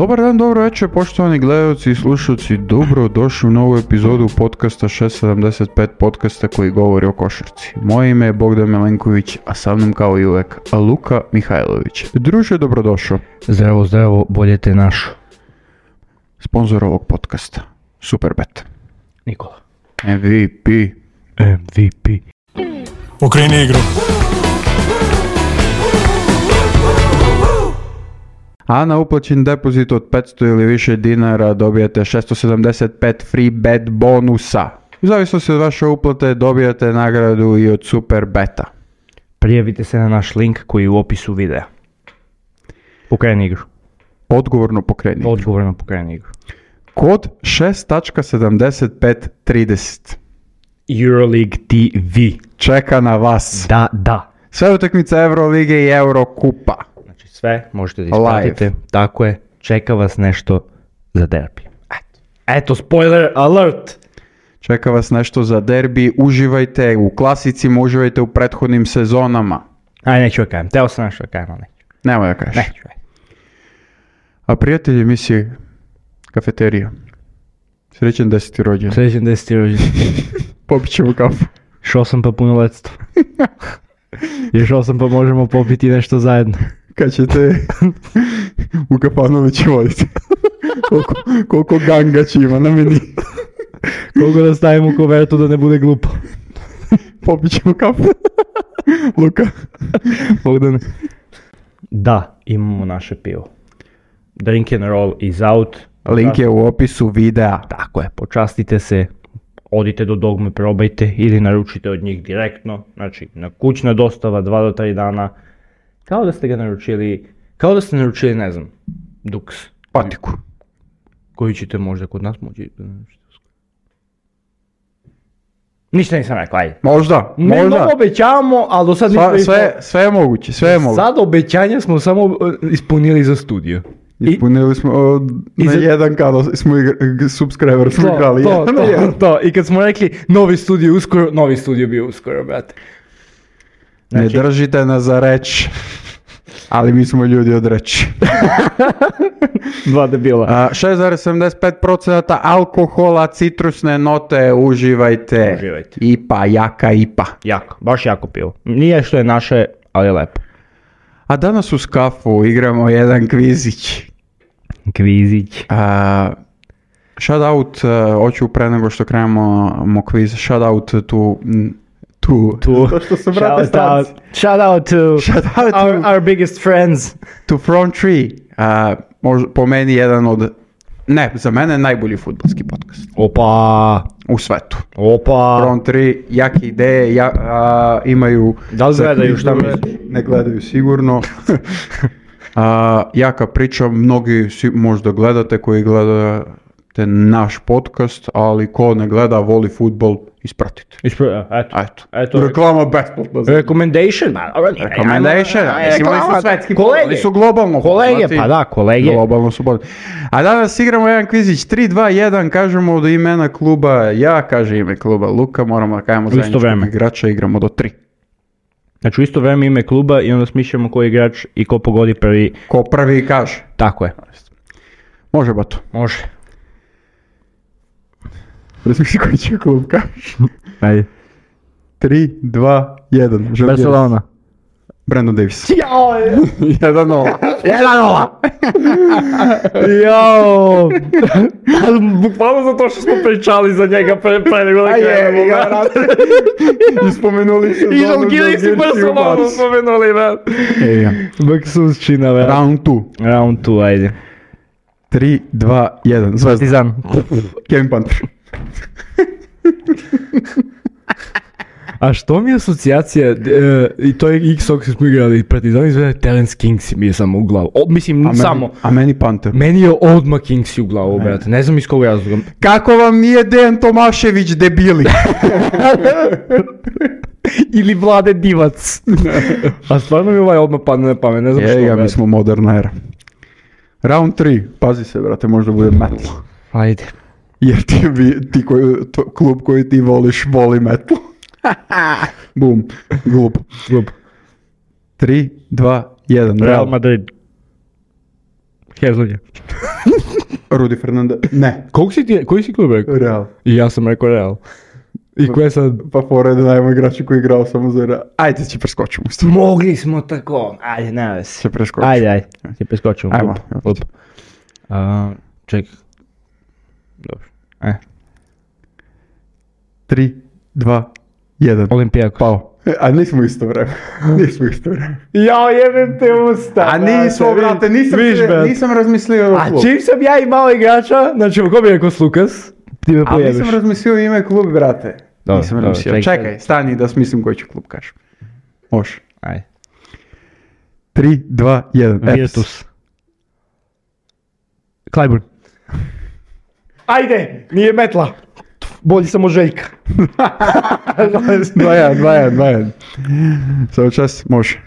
Dobar dan, dobro večer, poštovani gledalci i slušalci, dobro došli u novu epizodu podcasta 675, podcasta koji govori o košarci. Moje ime je Bogdan Milenković, a sa mnom kao i uvek Luka Mihajlović. Druže, dobrodošao. Zdravo, zdravo, bolje te našo. Sponzor ovog podcasta, Superbet. Nikola. MVP. Okreni igru. A na uplaćen depozit od 500 ili više dinara dobijate 675 free bet bonusa. U zavisnosti od vaše uplate dobijate nagradu i od Superbeta. Prijavite se na naš link koji je u opisu videa. Pokreni igru. Odgovorno pokreni. Odgovorno pokreni igru. Kod 6.7530. Euroleague TV. Čeka na vas. Da. Sve utakmice Eurolige i Eurokupa. Znači sve možete da ispratite. Tako je. Čeka vas nešto za derbi. Eto, spoiler alert! Čeka vas nešto za derbi. Uživajte u klasicima, uživajte u prethodnim sezonama. Neću da kajem. Teo sam nešto da kajem, ali neću. Nemoj da kažeš. Neću. A prijatelji emisije Kafeterija. Srećan 10. rođendan. Srećan 10. rođendan. Popit ćemo kafu. Šao sam pa punoletstvo. Išao sam pa možemo popiti nešto zajedno. Kad ćete u Kapanovići voditi. koliko ganga će ima na meni. Koliko da stavim u kovertu da ne bude glupo. Popit ćemo kafu. Luka. Bogdane. Da, imamo naše pivo. Drink and roll is out. Link je u opisu videa. Tako je, počastite se, odite do Dogme, probajte ili naručite od njih direktno. Znači, na kućna dostava 2 do 3 dana. Kao da ste ga naručili, ne znam, Dux. Patiku. Koju ćete možda kod nas moći da naručite. Ništa nisam rekao, ajde. Možda. Ne obećavamo, ali do sad nismo... Sve je moguće. Sad obećanja smo samo ispunili za studio. Ispunili smo na jedan kada smo subscriber smo igrali. To. I kad smo rekli novi studio bio uskoro, brate. Znači, ne držite nas za reč, ali mi smo ljudi od reči. 2 debila. 6,75% alkohola, citrusne note, uživajte. IPA, jaka IPA. Jako, baš jako pivo. Nije što je naše, ali je lepo. A danas uz kafu igramo jedan kvizić. Shout out, hoću pre nego što krenemo kviz, shout out to to što su brate stranci. Shout out to our biggest friends. To Front 3, po meni jedan od, ne, za mene najbolji fudbalski podcast. Opa! U svetu. Opa! Front 3, jake ideje, imaju... Da li gledaju, šta misliš? Ne gledaju sigurno. Jaka priča, mnogi možda gledate koji gledate naš podcast, ali ko ne gleda, voli fudbal, ispratite. Eto. Reklama besplatna. Recommendation. Imali su svetski, kolege. Su globalno. Kolege, pa da, kolege. Globalno su bolji. A danas igramo jedan kvizić 3-2-1, kažemo do imena kluba, ja kaže ime kluba Luka, moramo da kajemo zajedničkog igrača, igramo do 3. Znači u isto vreme ime kluba i onda smišljamo koji igrač i ko pogodi prvi. Ko prvi kaže. Tako je. Može, bato. Može. Razmišljaj koji će klub kažeš. Ajde. 3, 2, 1. Barcelona. Brandon Davis. 1-0. 1-0. Jao. Bukvalno zato što smo pričali za njega pre nego da krenemo. I spomenuli se. I Žalgiris i Barcelona spomenuli, man. Baksusčina, man. Round 2, ajde. 3, 2, 1. Zvezda. Partizan. Kevin Panther. A što mi je asocijacija, i to je X-Ox smo igrali, Partizan izgleda Terence Kings mi je samo u glavu. A meni Panther. Meni je odmah Kings u glavu, brate. Ne znam iz kog razloga. Kako vam nije Dejan Tomašević, debili? Ili Vlade Divac. A stvarno mi odmah padne na pamet, ne znam što. Ja, mi smo moderna era. Round 3, pazi se, brate, možda bude metal. Ajde. Jer klub koji ti voliš, voli metal. Bum, glup. 3, 2, 1. Real Madrid. Hezonja. Rudi Fernandez. Ne. Koji si klub rekao? Real. I ja sam rekao Real. I koje sad? Pa pored najmo igrača koji je igrao samo za Real. Ajde, će preskočimo. Mogli smo tako. Ajde, ne vezi. Će preskočimo. Ajde. Će preskočimo. Ajmo. Ček. Dobro. 3, 2, 1. Olimpijako. Pao. A nismo isto vreme. Ja jebem te usta. A nismo, brate, nisam razmislio o A klubu. čim sam ja imao igrača, znači ko bi rekao Slukas, ti me A pojebeš. nisam razmislio ime klub, brate. Dobro, Nisam dobro, razmislio. Čekaj, stani da smislim koji ću klub kažem. Može. Ajde. 3, 2, 1. Virtus. Klajburn. Ajde, nije metla. Bolji sam od Željka. 2-1. Samo čas, može.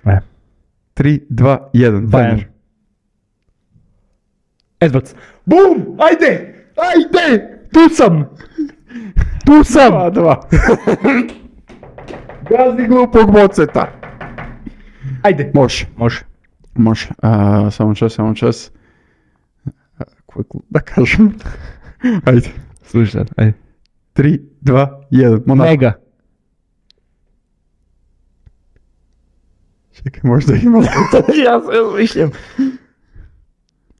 3, 2, 1. Bayern. Edwards. Bum! Ajde! Tu sam! 2. Gazi glupog boceta. Ajde. Može. Samo čas. Koji klub da kažem? Ajde. Slušaj sad, ajde. 3, 2, 1. Monaco. Mega. Čekaj, možda ima. Ja se razmišljam.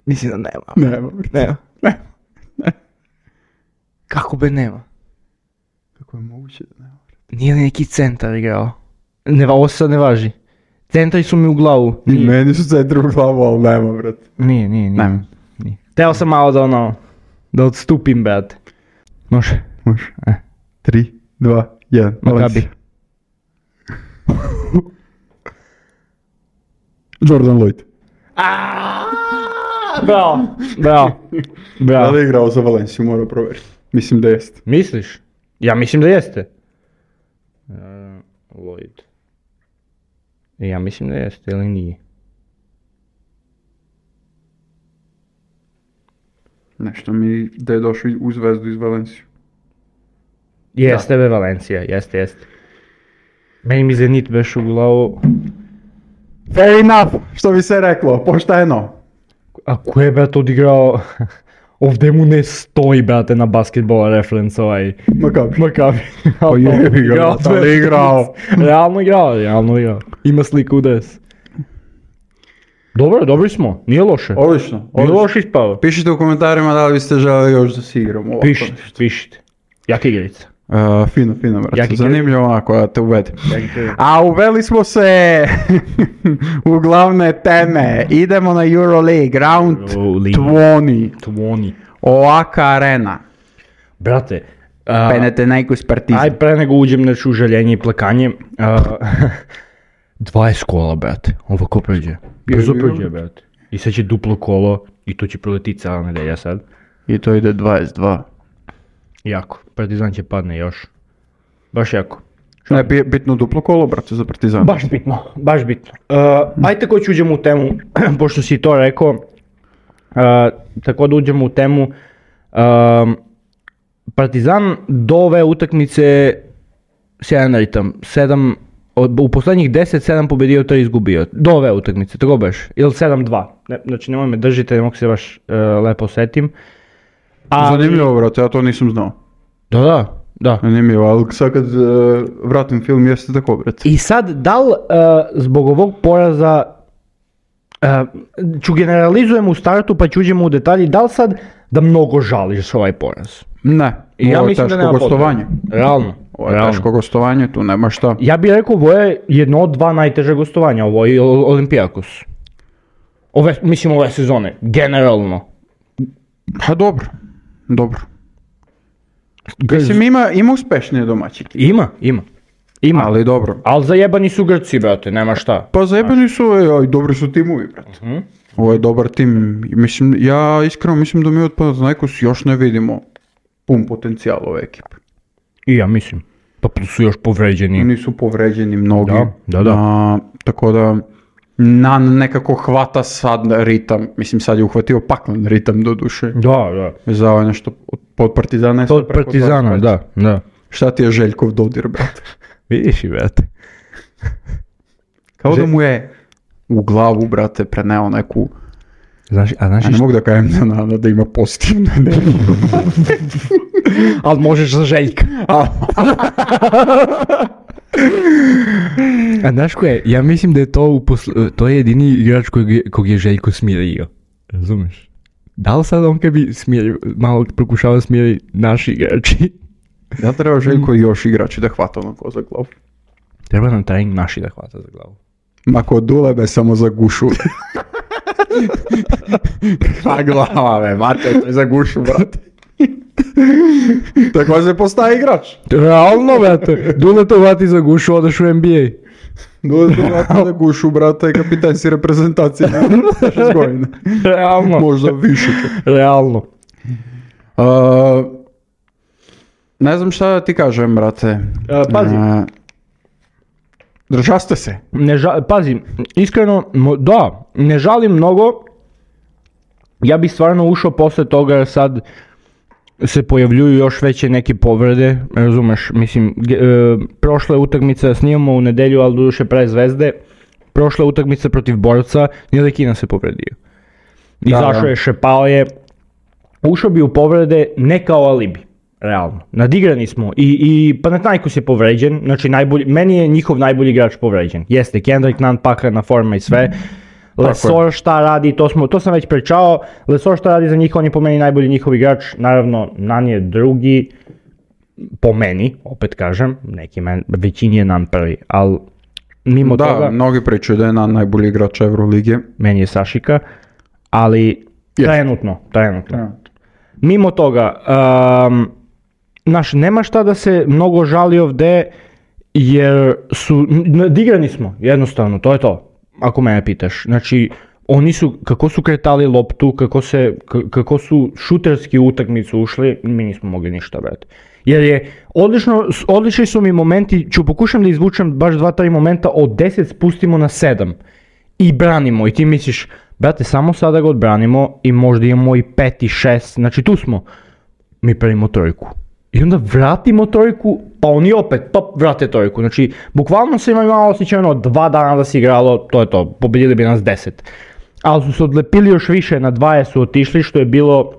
Mislim da nema. Nema. Kako be nema? Kako je moguće da nema? Nije li neki centar igrao? Ovo sad ne važi. Centri su mi u glavu. I meni su centri u glavu, ali nema, brate. Nije. Nema. Teo sam malo da odstupim, brate. Može. 3, 2, 1. Makabi. Jordan Lloyd. Bravo. Da li je igrao za Valenciju, moram provjeriti. Mislim da jeste. Misliš? Ja mislim da jeste. Lloyd. Ja mislim da jeste, ili nije? Nešto mi da je došao u Zvezdu iz Valenciju. Jeste be Valencija, jeste. Meni mi Zenit beš u glavu. Fair enough, što bi se reklo, pošteno. A ko je, brate, odigrao? Ovdje mu ne stoji, brate, na basketball reference ovaj. Makabi. Pa je igrao, ali igrao. Realno igrao. Ima sliku u des. Dobro, dobri smo, nije loše. Odlično. Nije loše ispao. Pišite u komentarima da li biste želeli još da si igramo. Pišite. Jaka igrica. Fino, brate. Jaki zanimljivo onako da te uvedem. Jaki A uveli smo se u glavne teme. Idemo na Euroleague, round 20. Oaka Arena. Brate, Panathinaikos Partizan. aj pre nego uđem na žaljenje i plakanje. 20 kola, brate. Ovako pređe. Brzo pređe, brate. I sad će duplo kolo i to će proletiti cijela nedelja sad. I to ide 22. Jako. Partizan će padne još. Baš jako. Ne, bitno duplo kolo, brate, za Partizan. Baš bitno. Ajde ko ću uđemo u temu, pošto si to rekao. Tako da uđemo u temu. Partizan do ove utakmice sjajan ritam. U posljednjih 10, 7 pobedio, 3 izgubio. Do ove utakmice, tako baš. Ili 7-2. Znači nemoj me držite, ne mogu se baš lepo setim. Zanimljivo, brate, ja to nisam znao. Da. Zanimljivo, ali sad kad vratim film jeste tako, brate. I sad, da li zbog ovog poraza, ću generalizujem u startu pa ću uđemo u detalji, da li sad da mnogo žališ ovaj poraz? Ne, ovo je teško gostovanje. Realno. Ovo je teško gostovanje, tu nema šta. Ja bih rekao, ovo je jedno od 2 najteže gostovanja, ovo je Olimpijakos. Ove sezone, generalno. Pa dobro. Mislim, ima uspešnije domaći. Ima. Ali dobro. Ali zajebani su Grci, brate, nema šta. Pa zajebani su, i dobri su timovi, brate. Ovo je dobar tim. Mislim, ja iskreno mislim da mi od Panathinaikos još ne vidimo pun potencijal ove ekipe. I ja mislim. Pa su još povređeni. Oni su povređeni mnogi. Da. Tako da Nan nekako hvata sad ritam. Mislim, sad je uhvatio paklen ritam do duše. Da. Vezao je nešto pod Partizana. Pod Partizana, da. Šta ti je Željkov dodir, brate? Vidiš i, brate. Kao da mu je u glavu, brate, preneo neku Znaš A ne mogu da kajem za Nana da ima pozitivnu energiju. Ali možeš za Željka. A znaš ko je? Ja mislim da je to je jedini igrač kog je Željko smirio. Razumeš? Da li sad on kad bi malo pokušao smiri naši igrači? Ja treba Željko i još igrači da hvata onako za glavu. Treba nam trening naši da hvata za glavu. Ma kod Dulebe samo za gušu. Kva glava, be, mate, to je za gušu, brate. Tako se postaje igrač. Realno, brate. Dule to hvati za gušu, odeš u NBA. Dule to hvati za gušu, brate, kapitan si reprezentacije. 6 godina. Realno. Možda više. Realno. Ne znam šta da ti kažem, brate. Pazi. Držaste se. Pazi, iskreno, da, ne žalim mnogo. Ja bih stvarno ušao posle toga jer sad se pojavljuju još veće neke povrede, razumeš, mislim, prošla je utakmica, snimamo u nedelju, ali doduše pre Zvezde, prošla je utakmica protiv Borca, Ntilikina se povredio. Izašao je, šepao je, ušao bi u povrede ne kao alibi. Realno. Nadigrani smo i Panathinaikos je povređen, znači meni je njihov najbolji igrač povređen. Jeste, Kendrick Nunn paklena forma i sve. Lesor šta radi, to sam već pričao. Lesor šta radi za njih, on je po meni najbolji njihov igrač. Naravno, Nunn je drugi, po meni, opet kažem, većini je Nunn prvi, ali mimo toga... Da, mnogi pričaju da je Nunn najbolji igrač Evrolige. Meni je Sašika, ali trenutno. Mimo toga, nema šta da se mnogo žali ovdje, jer nadigrani smo, jednostavno, to je to, ako mene pitaš. Znači, oni su, kako su kretali loptu, kako su šuterski u utakmicu ušli, mi nismo mogli ništa, brate. Jer je, odlični su mi momenti, ću pokušam da izvučem baš 2-3 momenta, od 10 spustimo na 7 i branimo, i ti misliš, brate, samo sada ga odbranimo i možda imamo i 5 i 6, znači tu smo. Mi pravimo trojku. I onda vratimo trojku, pa oni opet, vrate trojku. Znači, bukvalno se imalo osjećano 2 dana da se igralo, to je to, pobedili bi nas 10. Ali su se odlepili još više, na 20 su otišli, što je bilo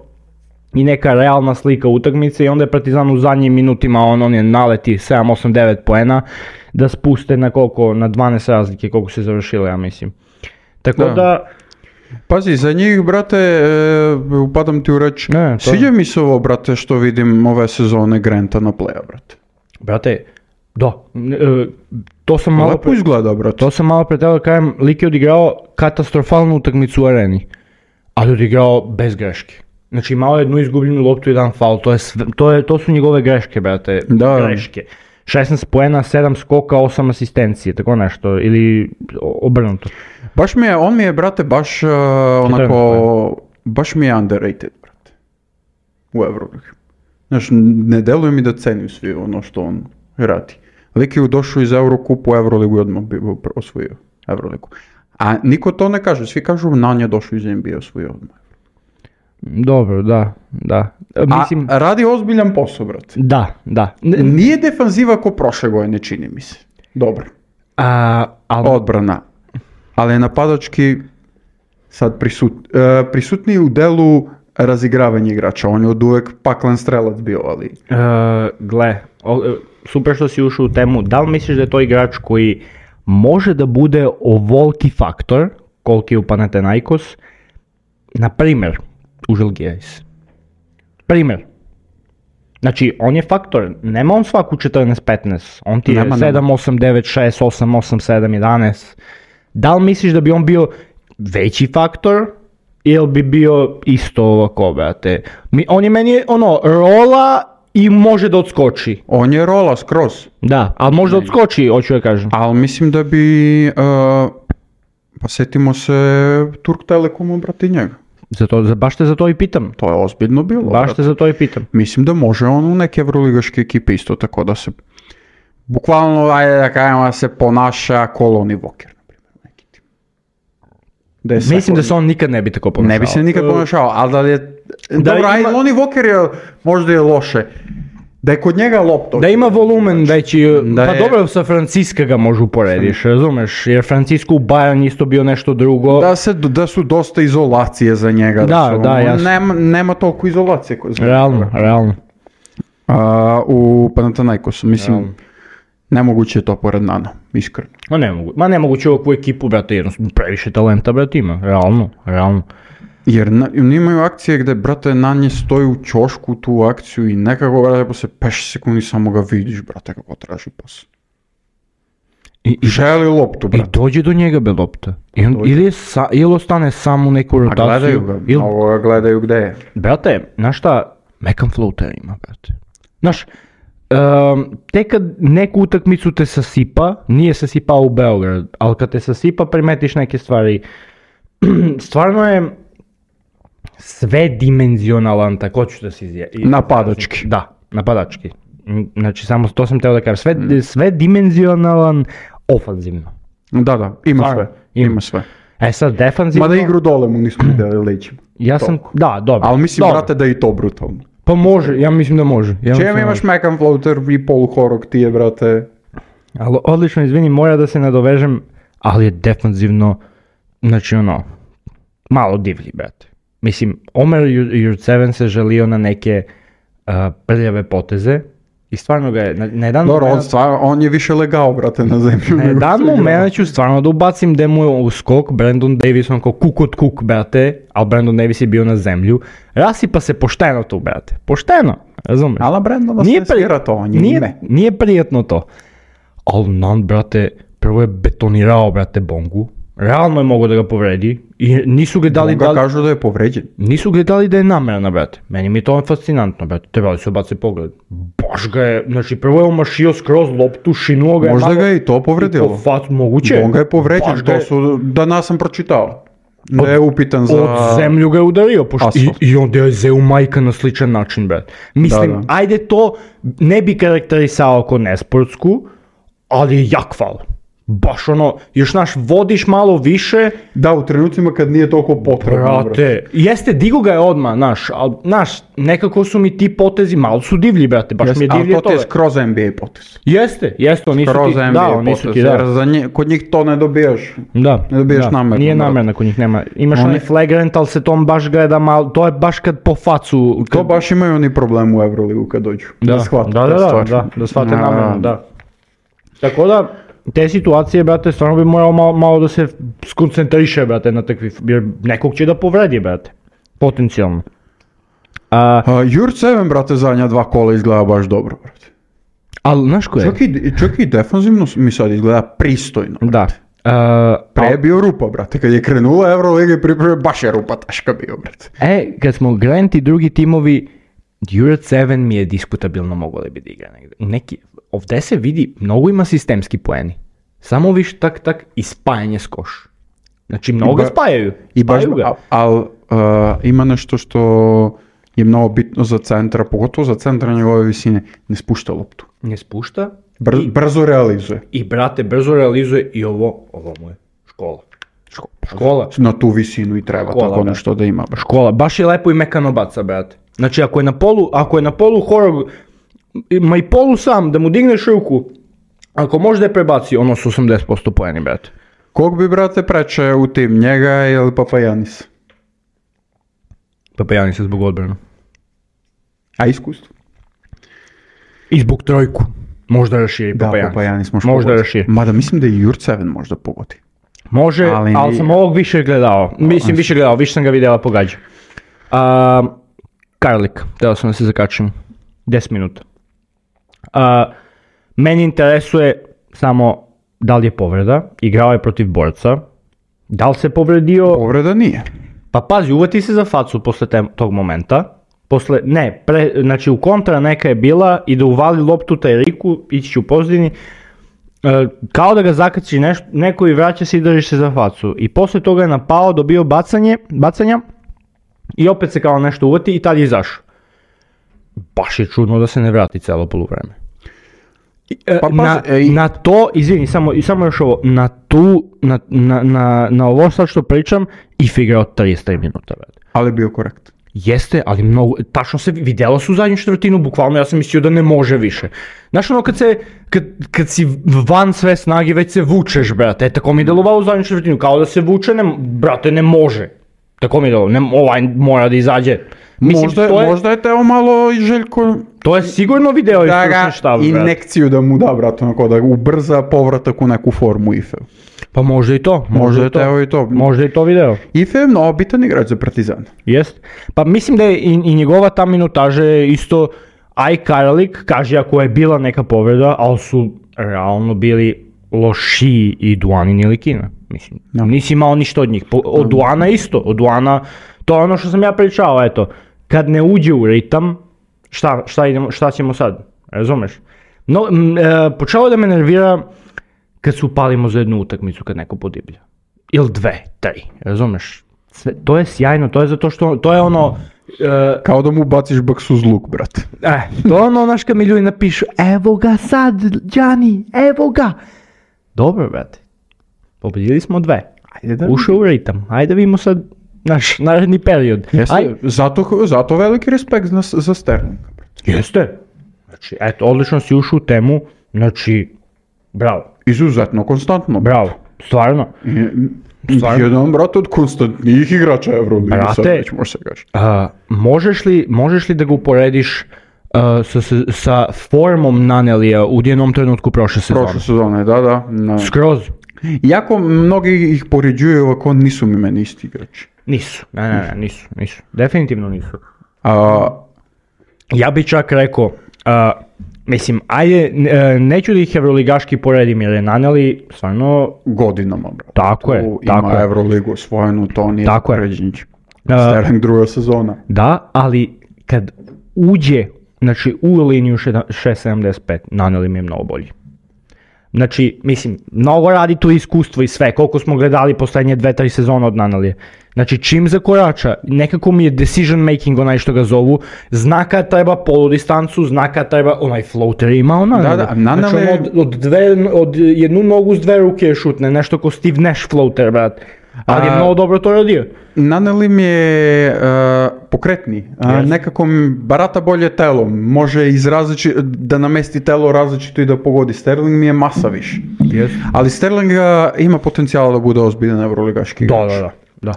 i neka realna slika utakmice i onda je Partizan u zadnjim minutima, on je naleti 7, 8, 9 poena, da spuste na koliko, na 12 razlike, koliko se završilo, ja mislim. Tako da... Pazi, za njih, brate, upadam ti u reč, sviđa mi se ovo, brate, što vidim ove sezone Granta na playa, brate. Brate, da, to sam malo... Lepo izgleda, brate. To sam malo pre tebe kajem, lik je odigrao katastrofalnu utakmicu u areni, ali odigrao bez greške. Znači, imao je jednu izgubljenu loptu i jedan faul, to su njegove greške, brate, greške. 16 poena, 7 skoka, 8 asistencije, tako nešto, ili obrnuto. On mi je, brate, baš onako, baš mi je underrated, brate, u Euroligi. Znači, ne deluje mi da cenim svi ono što on radi. Lik je došao iz Eurokupa u Euroligu i odmah bi osvojio Euroligu. A niko to ne kaže, svi kažu Nunn je došao iz NBA i osvojio odmah. Dobro, da. Mislim... A radi ozbiljan posao, brate. Da. Nije defanziva ko prošle godine, čini mi se. Dobro. Odbrana. Ali je napadački sad prisutniji u delu razigravanja igrača. On je od uvek paklen strelac bio, ali... Gle, super što si ušao u temu. Da li misliš da je to igrač koji može da bude ovoliki faktor, koliki je u Panathinaikos, na primjer, u Žalgiris? Primjer. Znači, on je faktor, nema on svaku 14-15, on ti je 7-8-9-6, 8-8-7-11. Da li misliš da bi on bio veći faktor ili bi bio isto ovako, brate? On je meni rola i može da odskoči. On je rola skroz. Da, ali može da odskoči, hoću da kažem. Ali mislim da bi, pa setimo se Turk Telekomu, brate, njega. Baš te za to i pitam. To je ozbiljno bilo. Baš te za to i pitam. Mislim da može on u neke evroligaške ekipe isto tako da se, bukvalno, ajde da kažemo, da se ponaša ko Lonnie Walker, na primjer, neki tim. Mislim da se on nikad ne bi tako ponašao. Ne bi se nikad ponašao, ali da je, dobro, ajde, Lonnie Walker je, možda je loše. Da je kod njega lopta. Da ima volumen veći, Da pa je- dobro sa Franciska ga možu uporediš, razumeš, jer Francisco u Bayern isto bio nešto drugo. Da su dosta izolacije za njega. Da, jasno. Nema toliko izolacije. Realno. U Panathinaikosu, mislim, Realno. nemoguće je to pored Nana, iskreno. Nemoguće ovakvu ekipu, brate, jednostavno previše talenta, brate, ima, realno. Jer imaju akcije gde, brate, Nanje stoji u ćošku tu akciju i nekako, brate, posle 5 sekundi samo ga vidiš, brate, kako traži pas. I Želi loptu, I brate. dođe do njega be lopta. Ili ostane sam u neku A rotaciju. gledaju ga, mnogo ga gledaju gde je. Brate, znaš šta, mekan floater ima, brate. Znaš, tek kad neku utakmicu te sasipa, nije sasipao u Beograd, ali kad te sasipa primetiš neke stvari, stvarno je sve dimenzionalan, tako ću da se izjavim. Napadački. Da, napadački. Znači, samo to sam teo da kažem, sve dimenzionalan ofanzivno. Da, ima Stvarno, sve. Ima sve. E sad, defanzivno... Mada igru dole mu nismo vidjeli lećima. Ja sam, da, dobro. Ali mislim, dobro. brate, da je i to brutalno. Pa može, ja mislim da može. Čem imaš mekan floater i poluhorog ti je, brate. Ali odlično, izvini, mora da se nadovežem, ali je defanzivno, znači ono, malo divlji, brate. Mislim, Omer Jurtseven se želio na neke prljave poteze i stvarno ga je, na jedan Dobro, moment, on je više legao, brate, na zemlju. na jedan moment ću stvarno da ubacim gde mu je u skok Brandon Davis, on kao kuk od kuk, brate, ali Brandon Davis je bio na zemlju, rasipa se pošteno tu, brate, pošteno, razumeš? Ala Brandon se svira to, on je ime. Nije prijetno to. Ali Nan, brate, prvo je betonirao, brate, Bongu. Realno je mogo da ga povredi. I nisu gledali Bonga kažu da je povređen. Nisu gledali da je namerna, brate. Meni mi je to fascinantno, brate. Trebali su obaci pogled. Baš ga je, znači prvo je omašio skroz loptu, šinuo ga je Možda malo. ga je i to povredilo. Moguće. Bonga je povređen, Baš ga je- to su, danas sam pročitao. Da je upitan za... Od zemlju ga je udario, asfalt. i onda je zeo majka na sličan način, brate. Mislim, Da. ajde to ne bi karakterisao kao nesportsku, ali je jak faul. Baš ono, još naš vodiš malo više, Da, u trenucima kad nije toliko potrebno. brate, jeste, digo ga je odmah, naš, nekako su mi ti potezi, malo su divlji, brate, baš mi je Ali divlje to ti je to. skroz NBA potez. Jeste, oni su Skroz ti, NBA da, oni su potez, ti, jer da. za kod njih to ne dobijaš. Da, Ne dobiješ namerno, nije brate. namerno kod njih, nema. Imaš Oni- onaj flagrant, ali se tom baš gleda malo, to je baš kad po facu. To baš imaju oni problem u Euroligu kad dođu. Shvate te stvari. Da shvate namerno, da. Tako da, te situacije, brate, stvarno bi morao malo da se skoncentriše, brate, na takvi, jer nekog će da povredi, brate, potencijalno. Jurtseven, brate, zadnja 2 kola izgleda baš dobro, brate. Ali, znaš ko je? Čak i defanzivno mi sad izgleda pristojno. Da. Pre je bio rupa, brate. Kad je krenula Euroliga i pripreme, baš je rupa taška bio, brate. Kad smo Grant i drugi timovi, Jurtseven mi je diskutabilno moglo da bi da igra negde. Ovdje se vidi, mnogo ima sistemski poeni. Samo viš tak i spajanje s koš. Znači, mnogo ga spajaju. I baš, Spajaju ga. ali ima nešto što je mnogo bitno za centra, pogotovo za centra njegove visine, ne spušta loptu. Ne spušta. Brzo realizuje. I brate, brzo realizuje i ovo mu je škola. Škola. Na tu visinu i treba Škola, tako brate. nešto da ima. Škola. Baš je lepo i mekano baca, brate. Znači, ako je na polu horog, ma i polu sam, da mu digneš ruku, ako može da je prebaci, ono su 80% poeni, brate. Kog bi, brate, preče u tim, njega ili Papajanis? Papajani se zbog odbrana. A iskustvo? I zbog trojku. Možda raširi Da, Papajanis. Papajanis može Možda pogoditi. raširi. Mada mislim da i Jurtseven možda pogodi. Može, Ali ali sam ovog više gledao. Mislim, više sam ga vidjela pogađa. Karlik, trebao sam da se zakačim. 10 minuta. Meni interesuje samo da li je povreda, igrao je protiv borca, da li se povredio, Povreda nije. pa pazi, uvati se za facu posle tog momenta, znači u kontra neka je bila i da uvali loptu Tajriku, ići će u pozadini, kao da ga zakači neko i vraća se i drži se za facu. I posle toga je napao, dobio bacanja i opet se kao nešto uvati i tad je izašao. Baš je čudno da se ne vrati celo poluvreme. Pa pazi, Na to, izvini, samo još ovo, na ovo sad što pričam, If igrao 33 minuta. Ali je bio korekt. Jeste, ali mnogo, tačno se vidjela su zadnju četvrtinu, bukvalno ja sam mislio da ne može više. Znaš ono kad si van sve snage već se vučeš, brate, tako mi je delovalo u zadnju četvrtinu, kao da se vuče, brate, ne može. Tako mi je delovalo, ovaj mora da izađe. Mislim, možda je teo malo i Željko... To je sigurno video i stručni štab, brate. Injekciju da mu da, brate, onako da ubrza povratak u neku formu Ife. Pa možda i to. Možda je teo i to. Možda i to video. Ife je mnogo bitan igrač za Partizan. Jest. Pa mislim da je i njegova ta minutaža je isto Karlik, kaže ako je bila neka povreda, ali su realno bili lošiji i Duanin ili Kina. Mislim, nisi imao ništa od njih. Od Duana isto. Od Duana, to je ono što sam ja pričao, eto. Kad ne uđe u ritam, šta ćemo sad? Razumeš? No, počelo da me nervira kad se upalimo za jednu utakmicu kad neko podiblja. Ili 2, 3, razumeš? To je sjajno, to je zato što, to je ono... Kao da mu baciš baksu uz luk, brate. To je ono, znaš, kad mi ljudi napišu, evo ga sad, Gianni, evo ga. Dobro, brate, pobedili smo 2. Ušao u ritam, ajde vidimo sad naš naredni period. Jeste, zato veliki respekt za Sterlinga. Jeste. Znači, eto, odlično si ušao u temu, znači, bravo. Izuzetno, konstantno. Bravo, stvarno. Jedan, brate, od konstantnijih igrača Euroligi, sad već može se gaži. Možeš li da ga uporediš sa formom Nanelija u jednom trenutku prošle sezone? Prošle sezone, da. Skroz. Iako mnogi ih poređuju, ako nisu mi meni isti igrači. Nisu, nisu. Definitivno nisu. Ja bi čak rekao, mislim, ajde, neću da ih evroligaški poredim jer je Naneli stvarno... Godinama, brate. Tako je. Ima Evroligu osvojenu, to nije poređenje. Sterling druga sezona. Da, ali kad uđe, znači u liniju 6.75, Naneli mi je mnogo bolji. Znači, mislim, mnogo radi tu iskustvo i sve, koliko smo gledali poslednje 2-3 sezone od Nanelije. Znači, čim zakorača, nekako mi je decision making onaj što ga zovu, zna kad treba poludistancu, zna kad treba, onaj floater ima ona. Da, Naneli... Znači, od jednu nogu s 2 ruke šutne, nešto ko Steve Nash floater, brat. Ali je mnogo dobro to radio. Naneli mi je pokretni, nekako mi barata bolje telom, može da namesti telo različito i da pogodi. Sterling mi je masa više. Ali Sterling ima potencijala da bude ozbiljan evroligaški igrač. Da.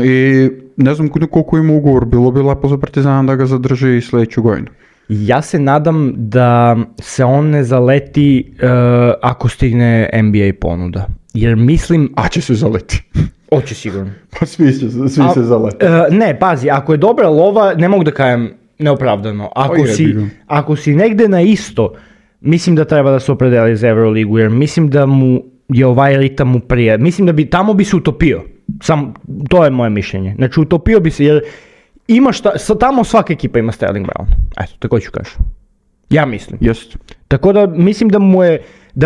I ne znam koliko ima ugovor, bilo bi lepo za Partizana da ga zadrži i sljedeću godinu. Ja se nadam da se on ne zaleti ako stigne NBA ponuda. Jer mislim... A će se zaleti. Hoće sigurno. Pa svi se zaleti. Ne, pazi, ako je dobra lova, ne mogu da kajem neopravdano. Ako si negde na isto, mislim da treba da se opredeli za Euroligu, jer mislim da mu je ovaj ritam mu prije. Mislim da tamo bi se utopio. To je moje mišljenje. Znači, utopio bi se, jer tamo svaka ekipa ima Sterling Brown. Eto, tako ću kažem. Ja mislim. Jest. Tako da mislim da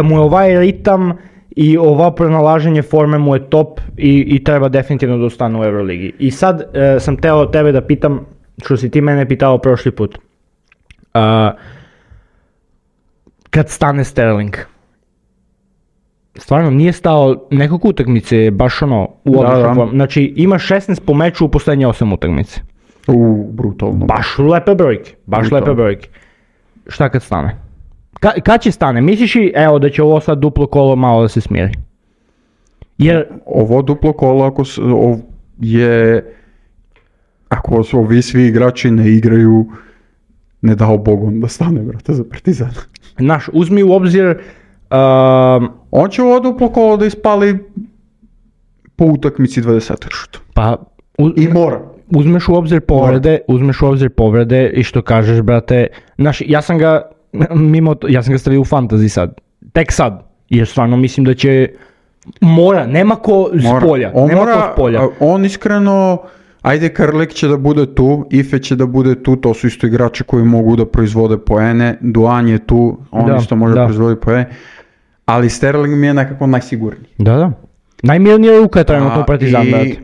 mu je ovaj ritam i ova pronalaženje forme mu je top i treba definitivno da ostane u Euroligi. I sad sam teo tebe da pitam, što si ti mene pitao prošli put. Kad stane Sterling, stvarno nije stao nekog utakmice, baš ono u odličnom formu. Znači ima 16 po meču u poslednje 8 utakmice. Brutalno. Baš lepe brojke. Šta kad stane? Kad će stane? Misliš i da će ovo sad duplo kolo malo da se smiri? Jer... Ovo duplo kolo ako ovi svi igrači ne igraju, ne dao Bogom da stane, brate, za Partizan. Znaš, uzmi u obzir... On će ovo duplo kolo da ispali po utakmici 20 šuta. Pa... I mora. Uzmeš u obzir povrede i što kažeš, brate, znaš, ja sam ga stavio u fantasy sad, tek sad, jer stvarno mislim da će, nema ko s polja. On iskreno, ajde Karlik će da bude tu, Ife će da bude tu, to su isto igrači koji mogu da proizvode poene, Duan je tu, on isto može da proizvodi poene, ali Sterling mi je nekako najsigurniji. Da. Najmirnija ruka je trenutno u Partizan, brate.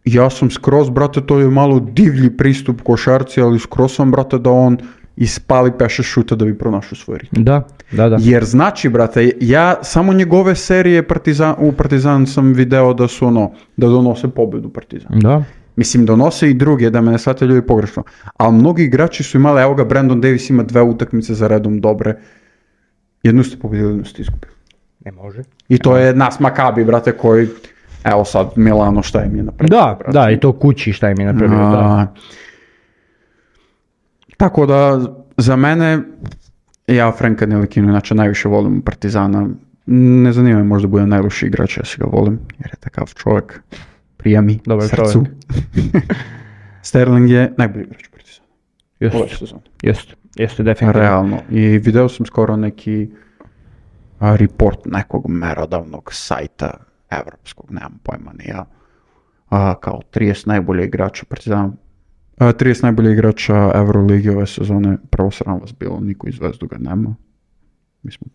Ja sam skroz, brate, to je malo divlji pristup košarci, ali skroz sam, brate, da on ispali 5-6 šuta da bi pronašao svoj ritam. Da. Jer znači, brate, ja samo njegove serije u Partizan sam video da su da donose pobedu Partizan. Da. Mislim, donose i druge, da me ne shvate ljudi pogrešno. Ali mnogi igrači su imali, evo ga, Brandon Davis ima 2 utakmice za redom dobre. Jednu ste pobedili, jednu ste izgubili. Ne može. I to je nas Makabi, brate, koji, evo sad Milano šta im je napravio. Da, brate. Da, i to kući šta im je napravio, da. Tako da, za mene, ja Franka Ntilikinu inače najviše volim Partizana. Ne zanima me, možda bude najlošiji igrač, ja se ga volim, jer je takav čovjek, prija mi, Dobar srcu. Sterling je najbolji igrač Partizana. Jeste definitivno. Realno. I video sam skoro neki report nekog merodavnog sajta evropskog, nemam pojma ni ja, kao 30 najbolje igrača Partizana. 30 najbolje igrača Euroligi ove sezone, prvo sram vas bilo, niko iz Zvezdu ga nema. Mi smo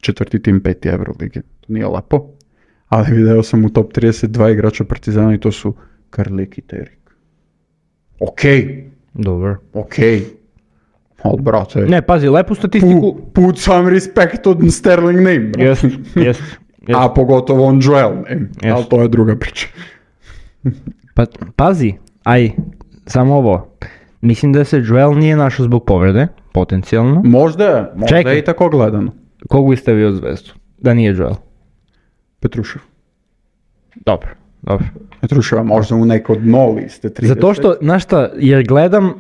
četvrti tim 5. Euroligi, to nije lepo. Ali video sam u top 32 igrača Partizana i to su Karlik i Terik. Dobro. Ali brate... Ne, pazi, lepu statistiku... Put some respect od Sterling name, brate. Jest. A pogotovo on Joel name, ali to je druga priča. Pa, pazi, samo ovo. Mislim da se Joel nije našao zbog povrede, potencijalno. Možda je i tako gledano. Kogu bi stavio Zvezdu? Da nije Joel? Petrušev. Dobro. Petruševa možda u neko dno liste 30. Zato što, znaš šta, jer gledam,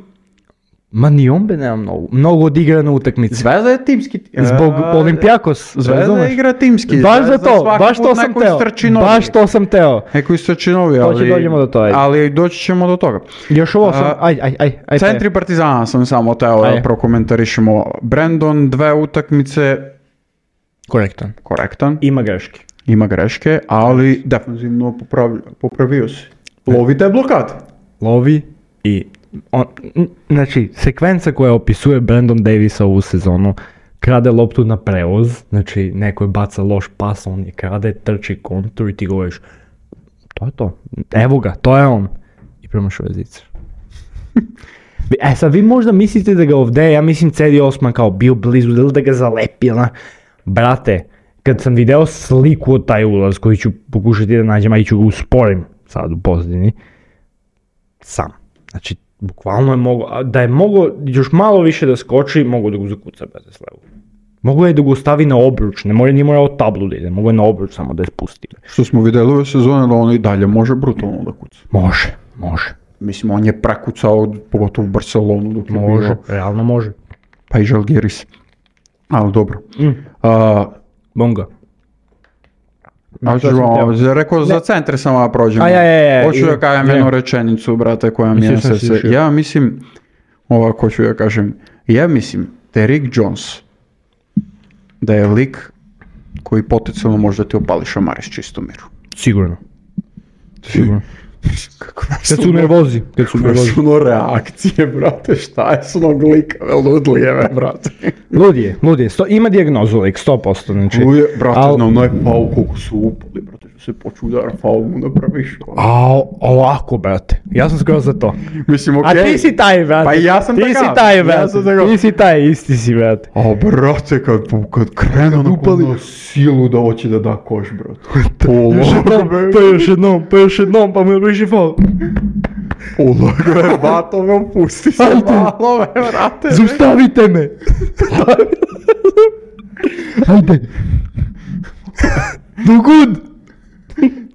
ni on nema mnogo odigrane utakmice. Zvezda je timski. Zbog Olimpijakos. Zvezda igra timski. Baš to sam teo. Neko istračinovi, ali... To će dođemo do toga. Ali doći ćemo do toga. Još ovo sam, Centri Partizana sam samo teo da prokomentarišemo. Brandon, 2 utakmice. Korektan. Ima greške, ali defensivno popravio se. Lovi te blokade. Lovi i... Znači, sekvenca koja opisuje Brandon Davisa ovu sezonu, krade loptu na prevoz, znači neko je baca loš pas, on je krade, trči kontur i ti govoriš, to je to, evo ga, to je on. I promašuje zicer. Sad vi možda mislite da ga ovdje, ja mislim Cedi Osman kao bio blizu, da ga zalepi, brate, kad sam video sliku od taj ulaz koji ću pokušati da nađem, a ću ga usporim sad u pozadini, sam, znači, bukvalno je mogo, da je mogo još malo više da skoči, mogo da ga zakuca bez slevu. Mogo je da ga stavi na obruč, nije morao tablu da ide, mogo je na obruč samo da je spusti. Što smo vidjeli ove sezone da on i dalje može brutalno da kuca. Može. Mislim, on je prekucao, pogotovo u Barcelonu dok je bilo. Realno može. Pa i Žalgiris. Ali dobro. Bonga. Rekao za centre samo da prođemo. Hoću da kažem jednu rečenicu, brate, koja mi je srce. Ja mislim, ovako ću da kažem, da je Rick Jones, da je lik koji potencijalno može da ti opali šamare s čistom miru. Sigurno. Kad su nervozi. Ono reakcije, brate, šta je s onog likave ludlijeve, brate. Ludije. Ima dijagnozu lik, 100%. Znači. Ludije, brate, znam, je faul koliko su upali, brate, što se počudara faul mu napraviš. Ovako, brate, ja sam skoro za to. Mislim, okej. A ti si taj, brate. Pa ja sam takav. Ti si taj, brate. Ti si taj, isti si, brate. Brate, kad krenu na konu silu da hoće da da koš, brate. Pa još jednom, pa mu je faul. Ulagove, batove, pusti se malo, vrate. Zaustavite me. Ajde.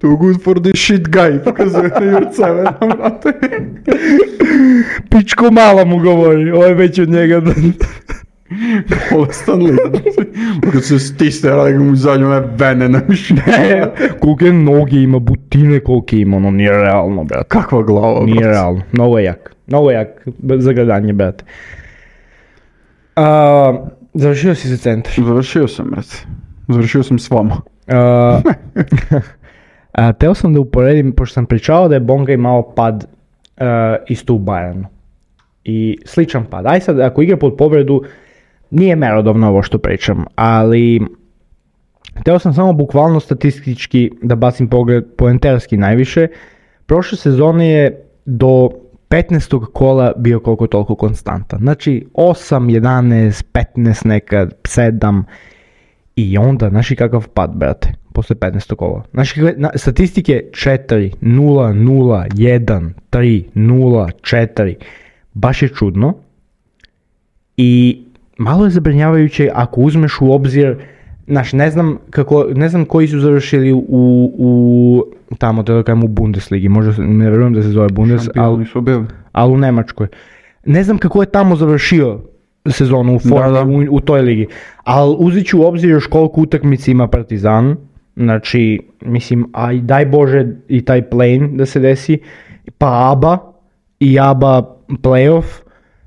Too good for this shit guy, pokazuje na Jurceve, vrate. Pičko mala mu govori, ovo je već od njega. Bolestan lik. Kad se stisne, radi mu zadnju vene na mišljenje. Kolike noge ima, butine kolike ima, ono nije realno, brate. Kakva glava, brate. Nije realno, mnogo jak za gledanje, brate. Završio si za centar? Završio sam, brate. Završio sam s vama. Teo sam da uporedim, pošto sam pričao da je Bonga imao pad isto u Bayernu. I sličan pad. Aj sad, ako igra pod povredu, nije merodavno ovo što pričam, ali teo sam samo bukvalno statistički da bacim pogled poenterski najviše. Prošle sezone je do 15. kola bio koliko toliko konstantan. Znači 8, 11, 15 nekad, 7 I onda, znaš i kakav pad, brate, posle 15. kola. Znaš kakve statistike 4, 0, 0, 1, 3, 0, 4. Baš je čudno. I malo je zabrinjavajuće ako uzmeš u obzir, znaš, ne znam koji su završili u tamo, da kažem, u Bundesligi, možda ne verujem da se zove Bundes, ali u Nemačkoj. Ne znam kako je tamo završio sezonu u formi, u toj ligi, ali uzet ću u obzir još koliko utakmica ima Partizan, znači, mislim, a i daj Bože i taj play-in da se desi, pa ABA i ABA playoff,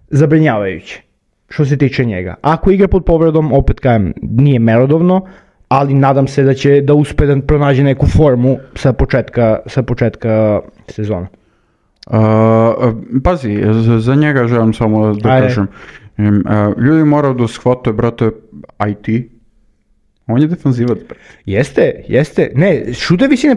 zabrinjavajuće. Što se tiče njega. Ako igra pod povredom, opet kažem, nije merodovno, ali nadam se da će da uspe da pronađe neku formu sa početka sezona. Pazi, za njega želim samo da kažem. Ljudi moraju da shvate, brate, IT. On je defanzivac, brate. Jeste. Ne, šutevi si ne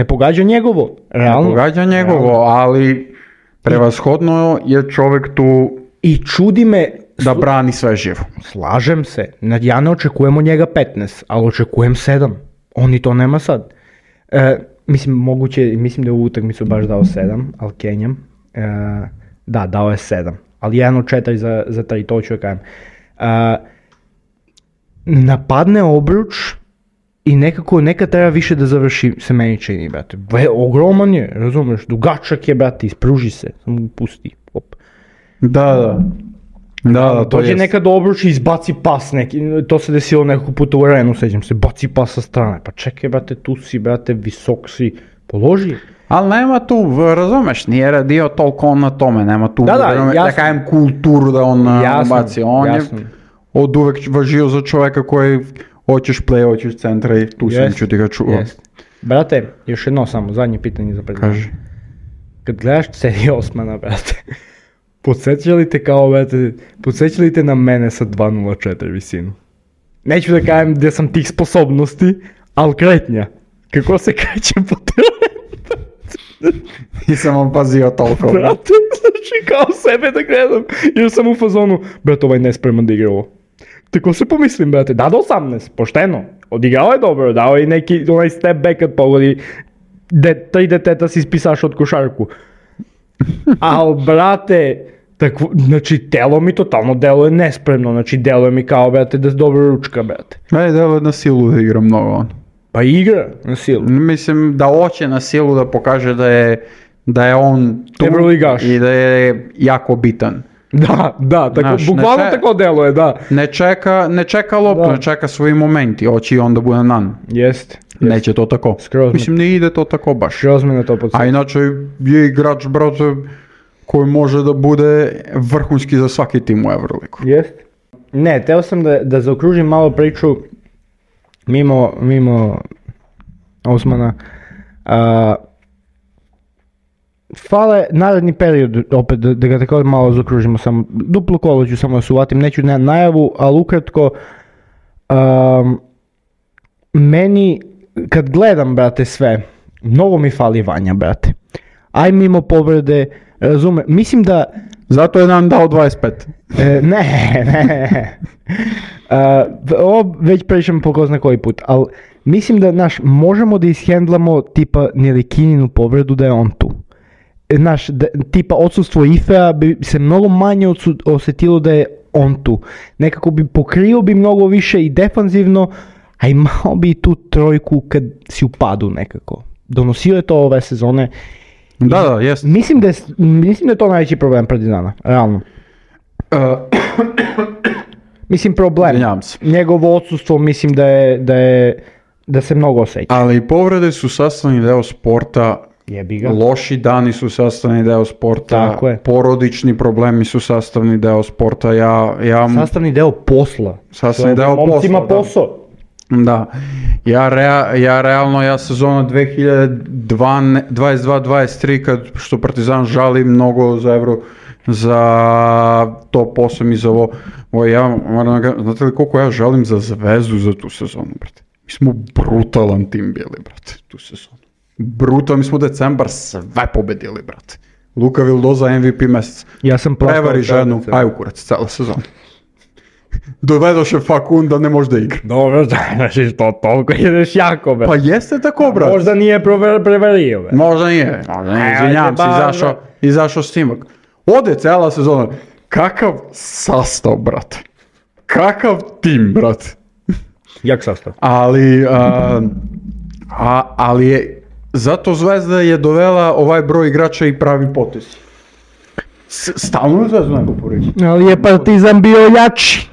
pogađa njegovo. Realno. Ne pogađa njegovo, ali prevashodno je čovjek tu i čudi me da brani sve živo. Slažem se. Ja ne očekujem od njega 15, ali očekujem 7. On i to nema sad. Mislim da je u utakmicu baš dao 7, ali Kenjam. Da, dao je 7. Ali 1 od 4 za 3, to ću kažem. Napadne obruč i nekad treba više da završi, se meni čini, brate. Ogroman je, razumeš, dugačak je, brate, ispruži se, samo pusti. Op. Da, to dođe nekad obruč i izbaci pas neki, to se desilo nekog puta u arenu, sećam se, baci pas sa strane, pa čekaj, brate, tu si, brate, visok si, položi. Ali nema tu, razumeš, nije radio toliko na tome, nema tu, da kajem kulturu da on baci, on jasno. Je od uvek važio za čoveka koji hoćeš play, hoćeš centra i tu sam ću ti ga čuo. Brate, još jedno samo, zadnje pitanje za predstavljanje. Kaži. Kad gledaš Cedi Osmana, brate, podsjećali te na mene sa 2.04 visinu. Neću da kažem gdje sam tih sposobnosti, ali kretnja. Kako se kreće po terenu? Nisam vam pazio toliko. Brate, znači kao sebe da gledam, jer sam u fazonu, brate, ovaj nespreman da igra ovo. Tako se pomislim, brate, da do 18, pošteno. Odigrao je dobro, dao je neki onaj step back kad pogodi, 3 deteta si ispisaš od košarku. Al, brate, znači telo mi totalno deluje nespremno, znači deluje mi kao, brate, da je dobra ručka, brate. Deluje na silu da igra mnogo on. Pa igra na silu. Mislim da hoće na silu da pokaže da je on tu i da je jako bitan. Da, tako, bukvalno tako deluje, da. Ne čeka loptu, ne čeka svoji momenti, hoće i onda bude nan. Jest. Neće to tako. Mislim, ne ide to tako baš. Skroz me na to podsjeća. A inače je igrač, brate, koji može da bude vrhunski za svaki tim u Euroligu. Jest. Ne, teo sam da zaokružim malo priču mimo Osmana. Fale naredni period, opet da ga tako malo zaokružimo, samo duplo kolo ću samo da se uvatim, neću na najavu, ali ukratko, meni, kad gledam, brate, sve, mnogo mi fali Vanja, brate. Aj mimo povrede, razume, mislim da... Zato je nam dao 25. Ne. Ovo već pričam po ko zna koji put, ali mislim da, možemo da ishendlamo tipa Nelikininu povredu da je on tu. Tipa odsustvo Ifea bi se mnogo manje osjetilo da je on tu. Nekako bi pokrio bi mnogo više i defanzivno, a imao bi tu trojku kad si u padu nekako. Donosio je to ove sezone. Da, jest. Mislim da je to najveći problem Partizana, realno. Mislim problem. Njegovo odsustvo mislim da se mnogo osjeća. Ali povrede su sastavni deo sporta. Jebiga. Loši dani su sastavni deo sporta, porodični problemi su sastavni deo sporta, sastavni deo posla. Sastavni deo posla, ima posao. Da. Ja sezona 2022-23 što Partizan žali mnogo za top 8 i za ovo, ja moram da, znate li koliko ja žalim za Zvezdu za tu sezonu, brate. Mi smo brutalan tim bili, brate, tu sezonu. Brutalno, mi smo decembar sve pobedili, brate. Luka Vildoza MVP mesec. Ja sam prevari ženu, aj u kurac, cela sezona. dovedoše Fakun da ne može da igra. Dobro, znači što toliko ideš jako, brate. Pa jeste tako, brate. Možda nije prevario, brate. Možda nije, izvinjam se, izašao snimak. Ode cela sezona. Kakav sastav, brate. Kakav tim, brate. Jak sastav. Ali je, zato Zvezda je dovela ovaj broj igrača i pravi potez. Stalno je Zvezdu nego poreći. Ali je Partizan bio jači.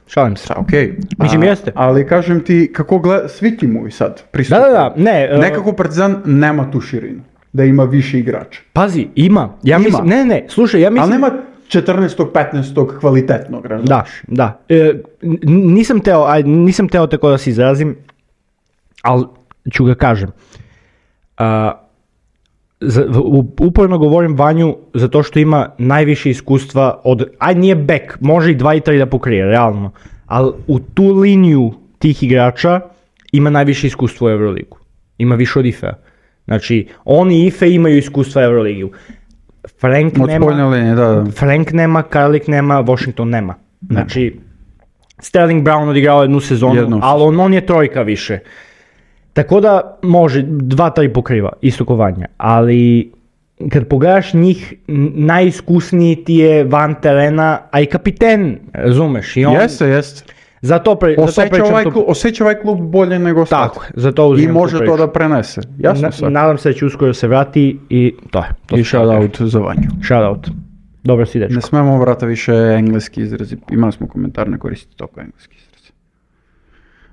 Šalim se. Okej. Mislim, jeste. Ali kažem ti, kako gleda, svi timovi sad pristupuju. Da, ne. Nekako Partizan nema tu širinu, da ima više igrača. Pazi, ima. Mislim, ne, slušaj, ja mislim... Ali nema 14. 15. kvalitetnog, razumiješ? Da. Nisam teo tako da se izrazim, ali ću ga kažem. Uporno govorim Vanju zato što ima najviše iskustva od, nije back, može i 2 i 3 da pokrije, realno, ali u tu liniju tih igrača ima najviše iskustva u Euroligu. Ima više od Ifea. Znači, on i Ife imaju iskustva u Euroligi. Frank nema, Karlik nema, Washington nema. Znači, Sterling Brown odigrao jednu sezonu, ali on je trojka više. Tako da može, 2-3 pokriva, isto ko Vanja, ali kad pogledaš njih, najiskusniji ti je van terena, a i kapiten, razumeš? Jeste. Osjeća ovaj klub bolje nego sad. Tako, zato uzimam. I može to da prenese, jasno sad. Nadam se da će uskoro se vrati i to je. I shoutout za Vanju. Shoutout. Dobro si, dečko. Ne smemo, brata, više engleski izrazi. Imali smo komentar, ne koristiti toliko engleski izrazi.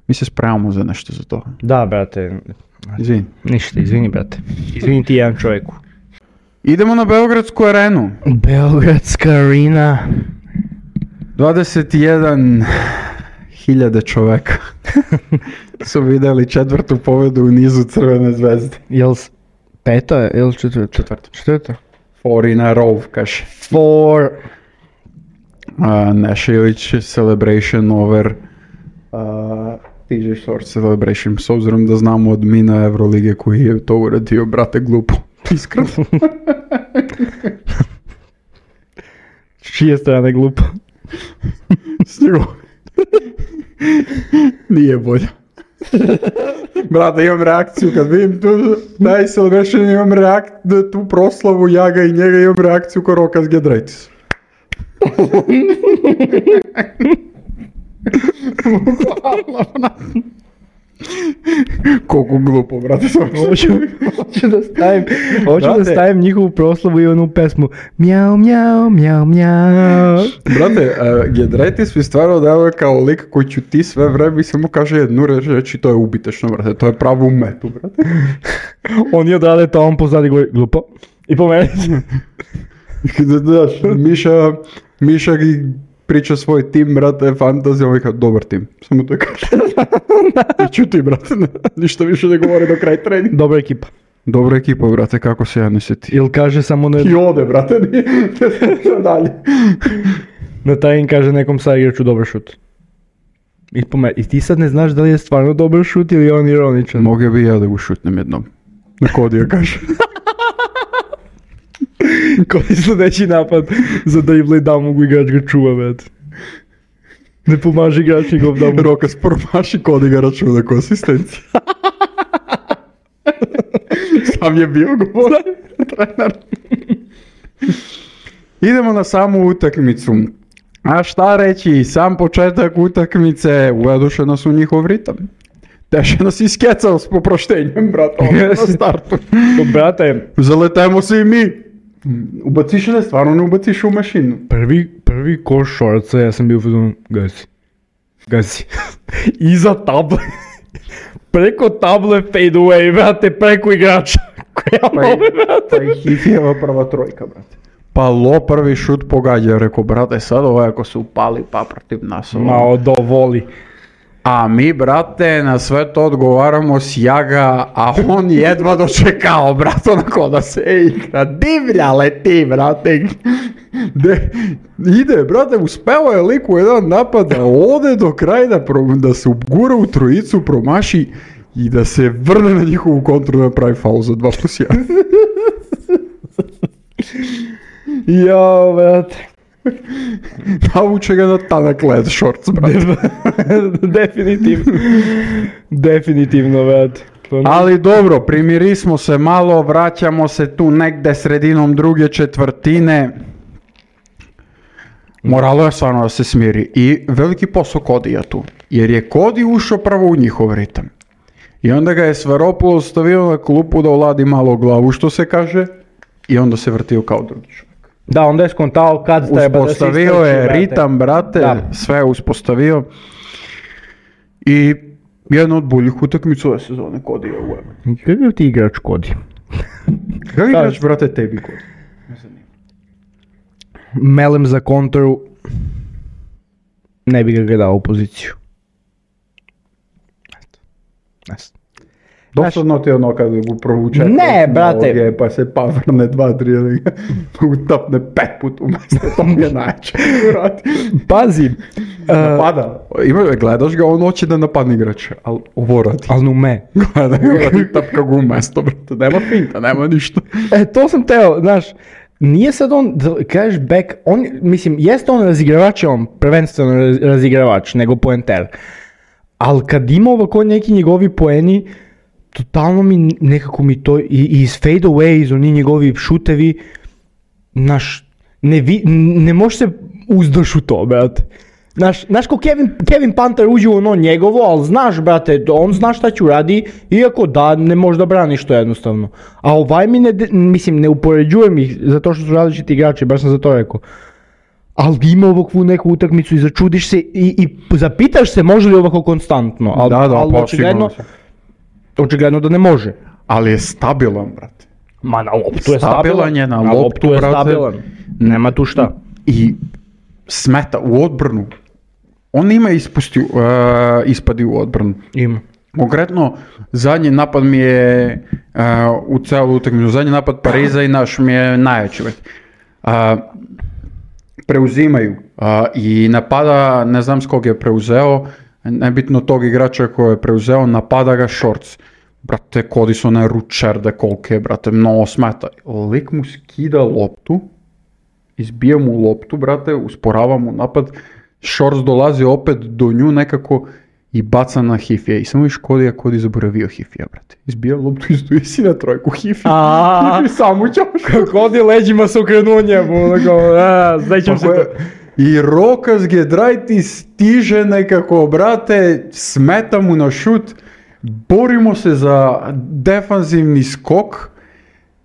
Mi se spremamo za nešto za to. Da, brate. Izvini. Ništa, izvini, brate. Izvini ti jedan čovjeku. Idemo na Beogradsku arenu. Beogradska arena. 21.000 čoveka su vidjeli 4. pobedu u nizu Crvene zvezde. Jel 5. ili 4? 4. 4 in a row, kaže. 4. Nešević celebration over TJ Short celebration, s obzirom da znamo od mina Evrolige koji je to uradio, brate, glupo. Iskreno. Čije strane glupo? Stigo. Nije bolje. Brate, imam reakciju kad vidim taj celebration, imam tu proslavu Jaga i njega, imam reakciju ko Rokas Giedraitis. Koliko glupo, brate. Hoću da stavim njihovu proslavu i onu pesmu Mjau, mjau, mjau, mjau. Brate, Giedraitis mi stvarno dao kao lik koji će ti sve vreme i samo kaže jednu reč i to je ubitešno, brate. To je pravo u metu, brate. Oni odrade to, on pozadi govori glupo. I po meni. Znaš, Miša priča svoj tim, brate, fantazija, ovaj kao dobar tim. Samo to kaže. I ćuti, brate, ništa više ne govori do kraj treninga. Dobra ekipa. Dobra ekipa, brate, kako se ja ne sjeti. Ili kaže samo ne... I ode, brate, nije dalje. Na tajin kaže nekom sa igraču dobar šut. I ti sad ne znaš da li je stvarno dobar šut ili je on ironičan. Mogu bi ja da ga šutnem jednom. Na kodija kaže. Koji sljedeći napad za dribble i da mogu igrač ga čuva, brate. Ne pomaži igrač njegov da mu... Rokas promaši kod igra računa ko asistencija. Sam je bio govor. Trener. Idemo na samu utakmicu. A šta reći, sam početak utakmice uvedoše nas u njihov ritam. Teše nas iskecao s poproštenjem, brata, na startu. Brate, zaletemo se i mi. Ubaciš li, stvarno ne ubaciš u mašinu? Prvi koš šorca, ja sam bio u fazonu, gazi. Iza table. Preko table fade away, brate, preko igrača. Pa i Hifijeva prva trojka, brate. Pa prvi šut pogađa, rekao, brate, sad ovaj ako se upali pa protiv nas. Malo dovoli. A mi, brate, na sve to odgovaramo s Jaga, a on jedva dočekao, brate, onako da se igra. Divlja leti, brate. Ide, brate, uspeo je lik u jedan napad da ode do kraja, da se ugura u trojicu, promaši i da se vrne na njihovu kontru da pravi faul za 2+1. Jo, brate. Navuče ga na tanak led shorts, brate. Definitivno, brate. Ali dobro, primirismo se malo, vraćamo se tu negde sredinom druge četvrtine. Moralo je stvarno da se smiri. I veliki posao Kodija tu. Jer je Kodi ušao prvo u njihov ritam. I onda ga je Svaropoulos stavio na klupu da oladi malo glavu, što se kaže. I onda se vrtio kao drugi čovjek. Da, onda je skontao kad treba da se uspostavio je ritam, brate, da. Sve je uspostavio. I jedna od boljih utakmica ove sezone Kodija u Evo. Kakav ti igrač Kodi? Kakav igrač, brate, tebi Kodi? Melem za kontru, ne bi ga dao u poziciju. Dosadno ti je ono kada ga provuče. Ne, brate. Pa se pa vrne 2-3 utapne 5 puta umjesto, to mi je najče. Pazi. Napada. Gledaš ga, on hoće da napadne igrače, ali ovo radi. Ali ume. Gleda ga, radi tapka ga umjesto, brate. Nema finta, nema ništa. To sam teo, znaš. Nije sad on, kažeš back, on, mislim, jeste on razigravač, on prvenstveno razigravač, nego poenter. Ali kad ima ovako neki njegovi poeni, totalno nekako mi to, i iz fade away, iz oni njegovi šutevi, znaš, ne može se uzdaš u to, brate. Znaš ko Kevin Panter uđe u ono njegovo, ali znaš, brate, on zna šta ću radi, iako da, ne može da brani što jednostavno. A ovaj mi ne upoređujem ih, zato što su različiti igrači, baš sam za to rekao. Ali ima ovakvu neku utakmicu i začudiš se i zapitaš se može li ovako konstantno. Ali očigledno da ne može. Ali je stabilan, brate. Ma na loptu je stabilan. Stabilan je na loptu, brate. Stabilan. Nema tu šta. I smeta u odbranu. On ima ispadi u odbranu. Ima. Konkretno, zadnji napad mi je u celu utakmicu, zadnji napad Pariza i naš mi je najjači. Preuzimaju i napada, ne znam s kog je preuzeo, nebitno tog igrača koji je preuzeo, napada ga Shorts. Brate, Kodi su one ručerde kolike, brate, mnogo smeta. Lik mu skida loptu, izbija mu loptu, brate, usporava mu napad, Shorts dolazi opet do nju nekako i baca na Hifija. I samo viš Kodi zaboravio Hifija, brate. Izbija loptu i stoji si na trojku Hifija. Hifi sam učao. Kodi leđima se okrenuo njemu, znaćem se to. I Rokas Gedraiti stiže nekako, brate, smeta mu na šut, borimo se za defanzivni skok,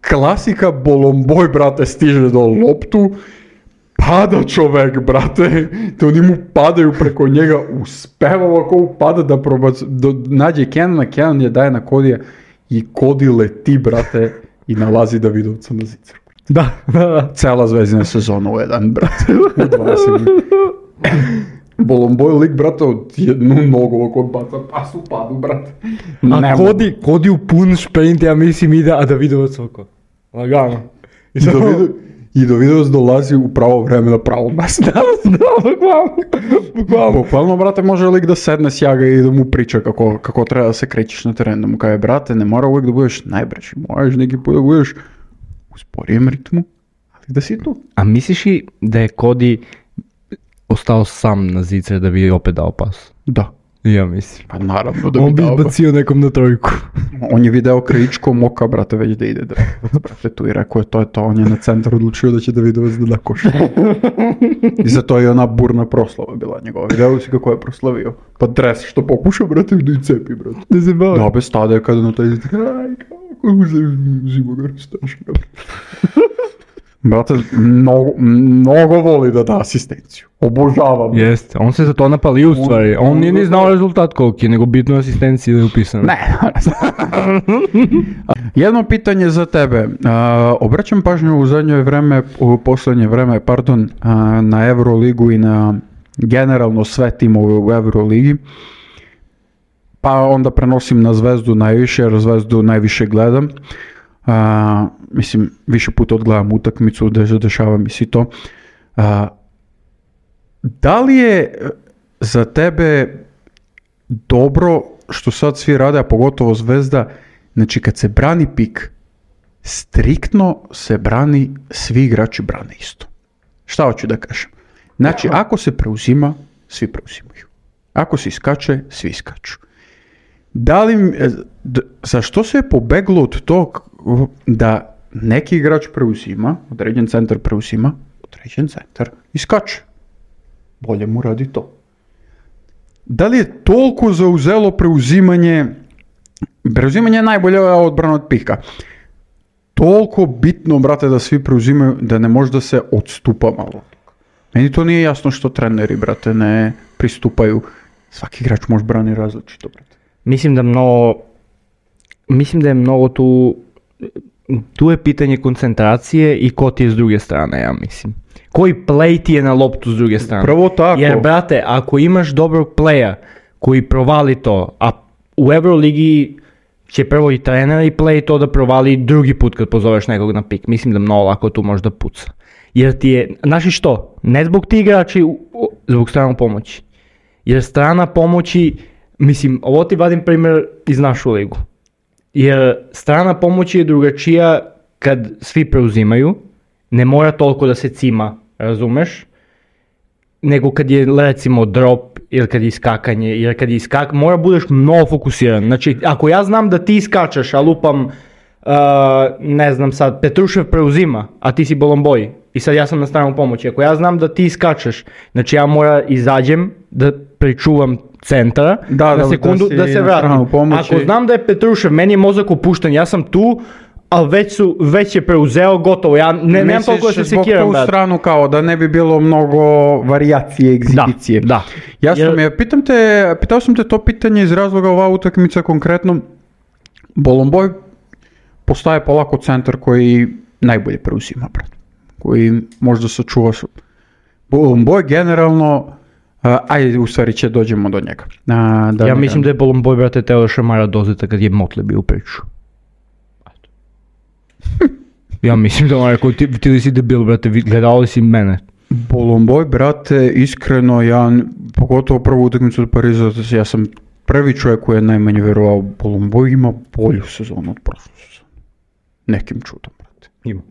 klasika Bolomboj, brate, stiže do loptu, pada čovek, brate, te oni mu padaju preko njega, uspeva ovako upada da nađe Kenan je daje na Kodija i Kodi leti, brate, i nalazi Davidovca na zicaru. Da. Cela Zvezdina sezona u jedan, brate. Bolomboj lik, brate, od jednu nogu ovako baca pas u padu, brate. A Kodi u pun šprint, ja mislim ide, a Davidovac oko. Lagano. I Davidovac dolazi u pravo vreme na pravo mjesto. Da, bukvalno. Bukvalno, brate, može lik da sedne s jaga i da mu priča kako treba da se krećeš na terenu. Da mu kaže, brate, ne mora uvijek da budeš najbrži, moraš neki put da budeš u sporijem ritmu, ali da si tu. A misliš i da je Kodi ostao sam na zicer da bi opet dao pas? Da. Ja mislim. Pa naravno da bi on bi izbacio nekom na trojku. On je video Krajičko moka, brate, već da ide brate, tu i rekao je to, on je na centar odlučio da će Davidovac da koša. I zato je ona burna proslava bila njegova. Video si kako je proslavio. Pa dres što pokušao, brate, da i cepi, brate. Ne se bavi. Da, bez stade kada na taj kako uzimo ga rastaš. Brate, mnogo voli da da asistenciju. Obožavam. Jeste, on se za to napalio u stvari. On nije ni znao rezultat koliki, nego bitno asistenciji da je upisano. Ne. Jedno pitanje za tebe. Obraćam pažnju u poslednje vreme, na Euroligu i na generalno sve timove u Euroligi. Pa onda prenosim na Zvezdu najviše, jer Zvezdu najviše gledam. Mislim, više puta odgledam utakmicu, dešava mi se to. Da li je za tebe dobro što sad svi rade, a pogotovo Zvezda, znači kad se brani pik, striktno se brani, svi igrači brane isto. Šta hoću da kažem? Znači, ako se preuzima, svi preuzimaju. Ako se iskače, svi iskaču. Zašto se je pobeglo od tog da neki igrač preuzima, određen centar preuzima, određen centar iskače? Bolje mu radi to. Da li je toliko zauzelo preuzimanje je najbolja odbrana od pika. Toliko bitno, brate, da svi preuzimaju, da ne može da se odstupa malo. Meni to nije jasno što treneri, brate, ne pristupaju. Svaki igrač može brani različito, brate. Mislim da je mnogo tu je pitanje koncentracije i ko ti je s druge strane, ja mislim. Koji play ti je na loptu s druge strane. Prvo tako. Jer, brate, ako imaš dobrog playa koji provali to, a u Euroligi će prvo i trener i play to da provali drugi put kad pozoveš nekog na pik. Mislim da mnogo lako tu može da puca. Jer ti je, znaš i što, ne zbog ti igrači, zbog strane pomoći. Jer strana pomoći, mislim, ovo ti vadim primjer iz našu ligu. Jer strana pomoći je drugačija kad svi preuzimaju, ne mora toliko da se cima, razumeš? Nego kad je recimo drop ili kad je iskakanje, jer kad je mora budeš mnogo fokusiran. Znači, ako ja znam da ti iskačeš, a lupam, ne znam sad, Petrušev preuzima, a ti si Bolomboj i sad ja sam na stranu pomoći. Ako ja znam da ti iskačeš, znači ja mora izađem da pričuvam centra na sekundu da se vratim. Ako znam da je Petrušev, meni je mozak opušten, ja sam tu, ali već je preuzeo, gotovo, ja nemam toliko da se sekiram. Misliš zbog tu stranu kao da ne bi bilo mnogo varijacije, egzibicije. Da. Pitao sam te to pitanje iz razloga ova utakmica konkretno. Bolomboj postaje polako centar koji najbolje preuzima, brate. Koji možda sačuva. Bolomboj generalno, ajde u stvari će dođemo do njega. Ja mislim da je Bolomboj, brate, teo šamara dozeta kad je Motley bio u priču. Ja mislim da on rekao, ti li si debil, brate, gledao li si mene? Bolomboj, brate, iskreno, pogotovo prvu utakmicu od Pariza, ja sam prvi čovjek koji je najmanje vjerovao. Bolomboj ima bolju sezonu od prošle sezone. Nekim čudom, brate. Ima.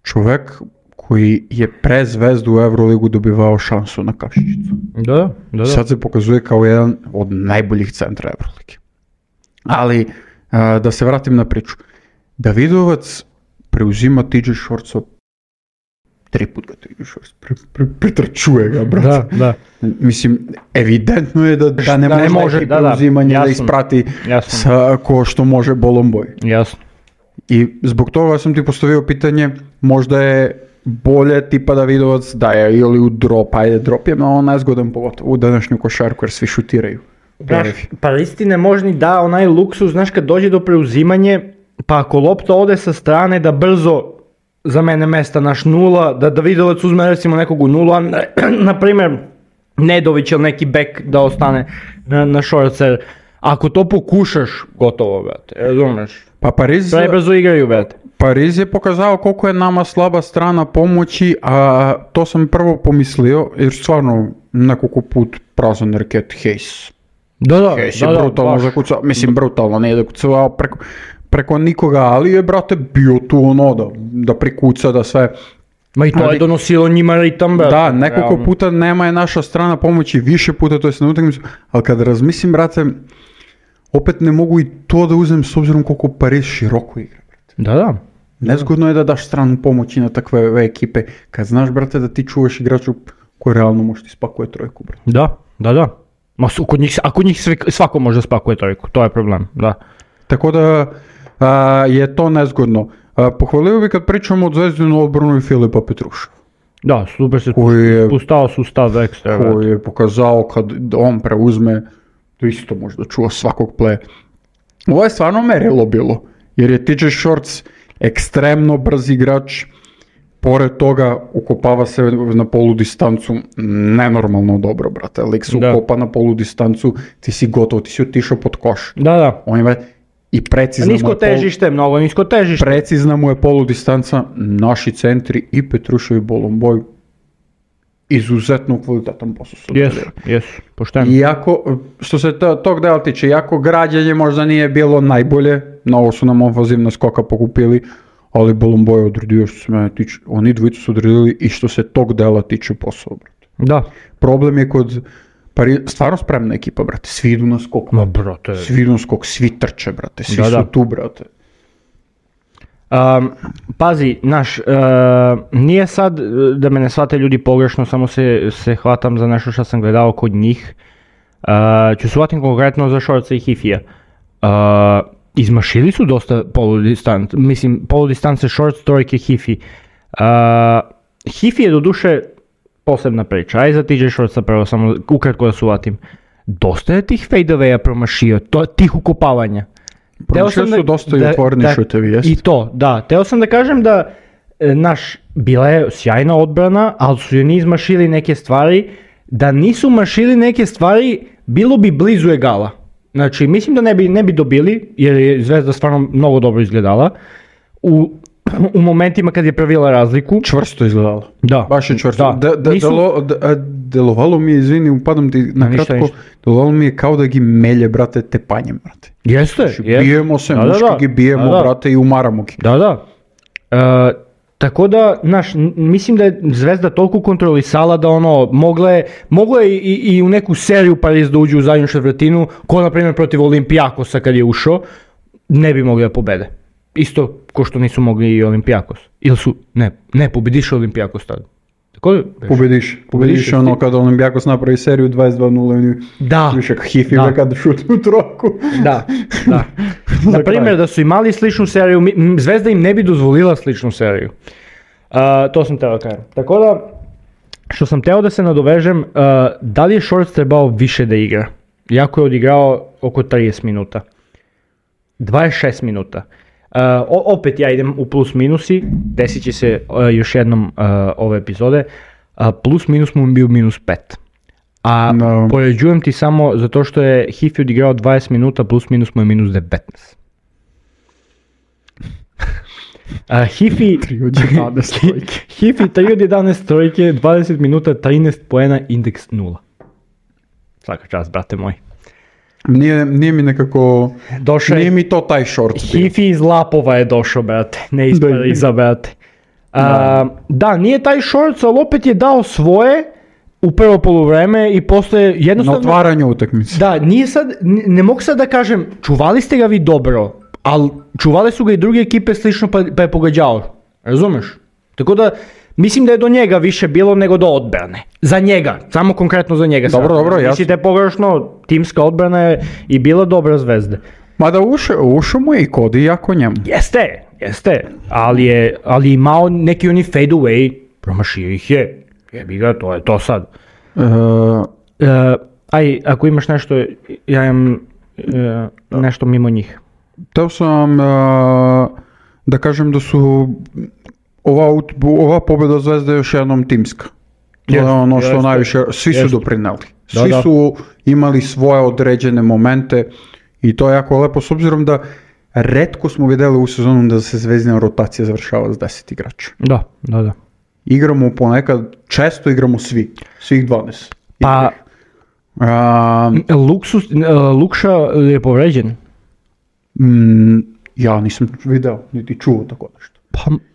Čovjek koji je pre Zvezdu u Euroligu dobivao šansu na kašičicu. Da. Sad se pokazuje kao jedan od najboljih centra Eurolige. Ali, da se vratim na priču. Davidovac preuzima TJ Shortsa 3 put ga TJ Shorts pretrčuje ga, brate. Da. Mislim, evidentno je da ne može preuzimanje da isprati ko što može Bolomboj. Jasno. I zbog toga sam ti postavio pitanje, možda je bolje tipa Davidovac da je ili u drop, ajde drop je malo nezgodan pogotovo u današnju košarku jer svi šutiraju. Pa istine možda da onaj luksuz, znaš kad dođe do preuzimanje, pa ako lopta ode sa strane da brzo za mene mesta naš nula, da Davidovac uzme recimo nekog u nula, na primjer Nedović ili neki bek da ostane na Shortser. Ako to pokušaš, gotovo, brate, razumeš? Pa prebrzo igraju, brate. Pariz je pokazao koliko je nama slaba strana pomoći, a to sam prvo pomislio, jer stvarno nekoliko put prazan reket Hayes. Da, Hayes je brutalno zakucao, mislim brutalno, ne je zakucao preko nikoga, ali je, brate, bio tu ono da prikuca, da sve. Ma i to je donosilo njima ritam, brate. Da, nekoliko puta nema je naša strana pomoći, više puta, to je na utakmicu, ali kad razmislim, brate, opet ne mogu i to da uzem s obzirom koliko Pariz široko igra, brate. Da. Nezgodno je da daš stranu pomoći na takve ekipe, kad znaš, brate, da ti čuvaš igraču koji realno može ti spakuje trojku, brate. Da. Ma kod njih svako može spakuje trojku, to je problem, da. Tako da je to nezgodno. Pohvalio bi kad pričamo o Zvezdinu odbranu i Filipa Petruša. Da, super se spustao sustav ekstra. Koji je pokazao kad on preuzme, to isto može da čuva svakog playa. Ovo je stvarno merilo bilo, jer je TJ Shorts ekstremno brz igrač, pored toga ukopava se na polu distancu nenormalno dobro, brate. Lik se ukopa na polu distancu, ti si gotov, ti si otišao pod koš. Da. On ima i precizna nisko težište. Precizna mu je polu distanca, naši centri i Petrušev i Bolomboj izuzetno kvalitetan posao. Jesu, pošteno. Iako, što se tog dela tiče, iako građenje možda nije bilo najbolje, mnogo su nam ofazivna skoka pokupili, ali Bolomboy je odredio što se mene tiče, oni dvojica su odredili i što se tog dela tiče posao, brate. Da. Problem je kod stvarno spremna ekipa, brate, svi idu na skok, Ma, brate. svi idu na skok, svi trče, brate, svi Da, su da. tu, brate. Pazi, nije sad, da me ne shvate ljudi pogrešno, samo se hvatam za nešto što sam gledao kod njih. Ću se hvatim konkretno za Shortsa i Hifija. Izmašili su dosta poludistance Shorts, trojke, Hifi. Hifi je doduše posebna priča, aj za TJ Shortsa prvo samo ukratko da se hvatim. Dosta je tih fadeawaya promašio, tih ukopavanja. Promašio su dosta i otvoreni šutevi, jest? I to, da. Teo sam da kažem da bila je sjajna odbrana, ali su joj izmašili neke stvari. Da nisu mašili neke stvari, bilo bi blizu egala. Znači, mislim da ne bi dobili, jer je Zvezda stvarno mnogo dobro izgledala. U momentima kad je pravila razliku. Čvrsto izgledalo. Da. Baš je čvrsto. Delovalo mi je, izvini, upadam ti na kratko, delovalo mi je kao da gi melje, brate, tepanjem, brate. Jeste. Bijemo se, muški gi bijemo, brate, i umaramo gi. Da. Tako da, mislim da je Zvezda toliko kontrolisala da mogla je i u neku seriju Pariz da uđe u zadnju četvrtinu, ko na primjer protiv Olimpijakosa kad je ušao, ne bi mogli da pobede. Isto ko što nisu mogli i Olimpijakos. Ili su, ne, pobediš Olimpijakos tada. Pobediš ono kada Olimpijakos napravi seriju 22-0 da. Više Hifi kad šutnu troku. Da. Na primjer da su imali sličnu seriju, Zvezda im ne bi dozvolila sličnu seriju. To sam teo da kažem. Tako da, što sam teo da se nadovežem, da li je Shorts trebao više da igra? Jako je odigrao oko 30 minuta. 26 minuta. Opet ja idem u plus minusi, desit će se još jednom ove epizode, plus minus mu bio minus 5. Poređujem ti samo zato što je Hifi odigrao 20 minuta, plus minus mu je minus 19. Hifi 3 od 11 trojke, 20 minuta, 13 poena, indeks 0. Svaka čast, brate moj. Nije mi nekako, nije mi to taj Shorts bio. Hifi iz Lapova je došao, brate, ne iz Pariza, brate. Da, nije taj Shorts, ali opet je dao svoje u prvo poluvreme i posle jednostavno... Na otvaranju utakmice. Da, ne mogu sad da kažem, čuvali ste ga vi dobro, ali čuvali su ga i druge ekipe slično pa je pogađao, razumeš? Tako da, mislim da je do njega više bilo nego do odbrane. Za njega, samo konkretno za njega. Dobro, jasno. Mislite pogrešno, timska odbrana je i bila dobra Zvezde. Mada ušao mu je i Kodi jako njemu. Jeste, ali je imao neki oni fade away, promašio ih je. Jebi ga, to je to sad. Ako imaš nešto, ja imam nešto mimo njih. Teo sam da kažem da su ova pobjeda Zvezde je još jednom timska. To je ono što najviše, svi su doprineli. Svi su imali svoje određene momente i to je jako lepo, s obzirom da retko smo vidjeli u sezonu da se Zvezdina rotacija završava s 10 igrača. Da. Igramo ponekad, često igramo svih 12. Pa, Lukša je povređen? Ja nisam video, niti čuo tako nešto.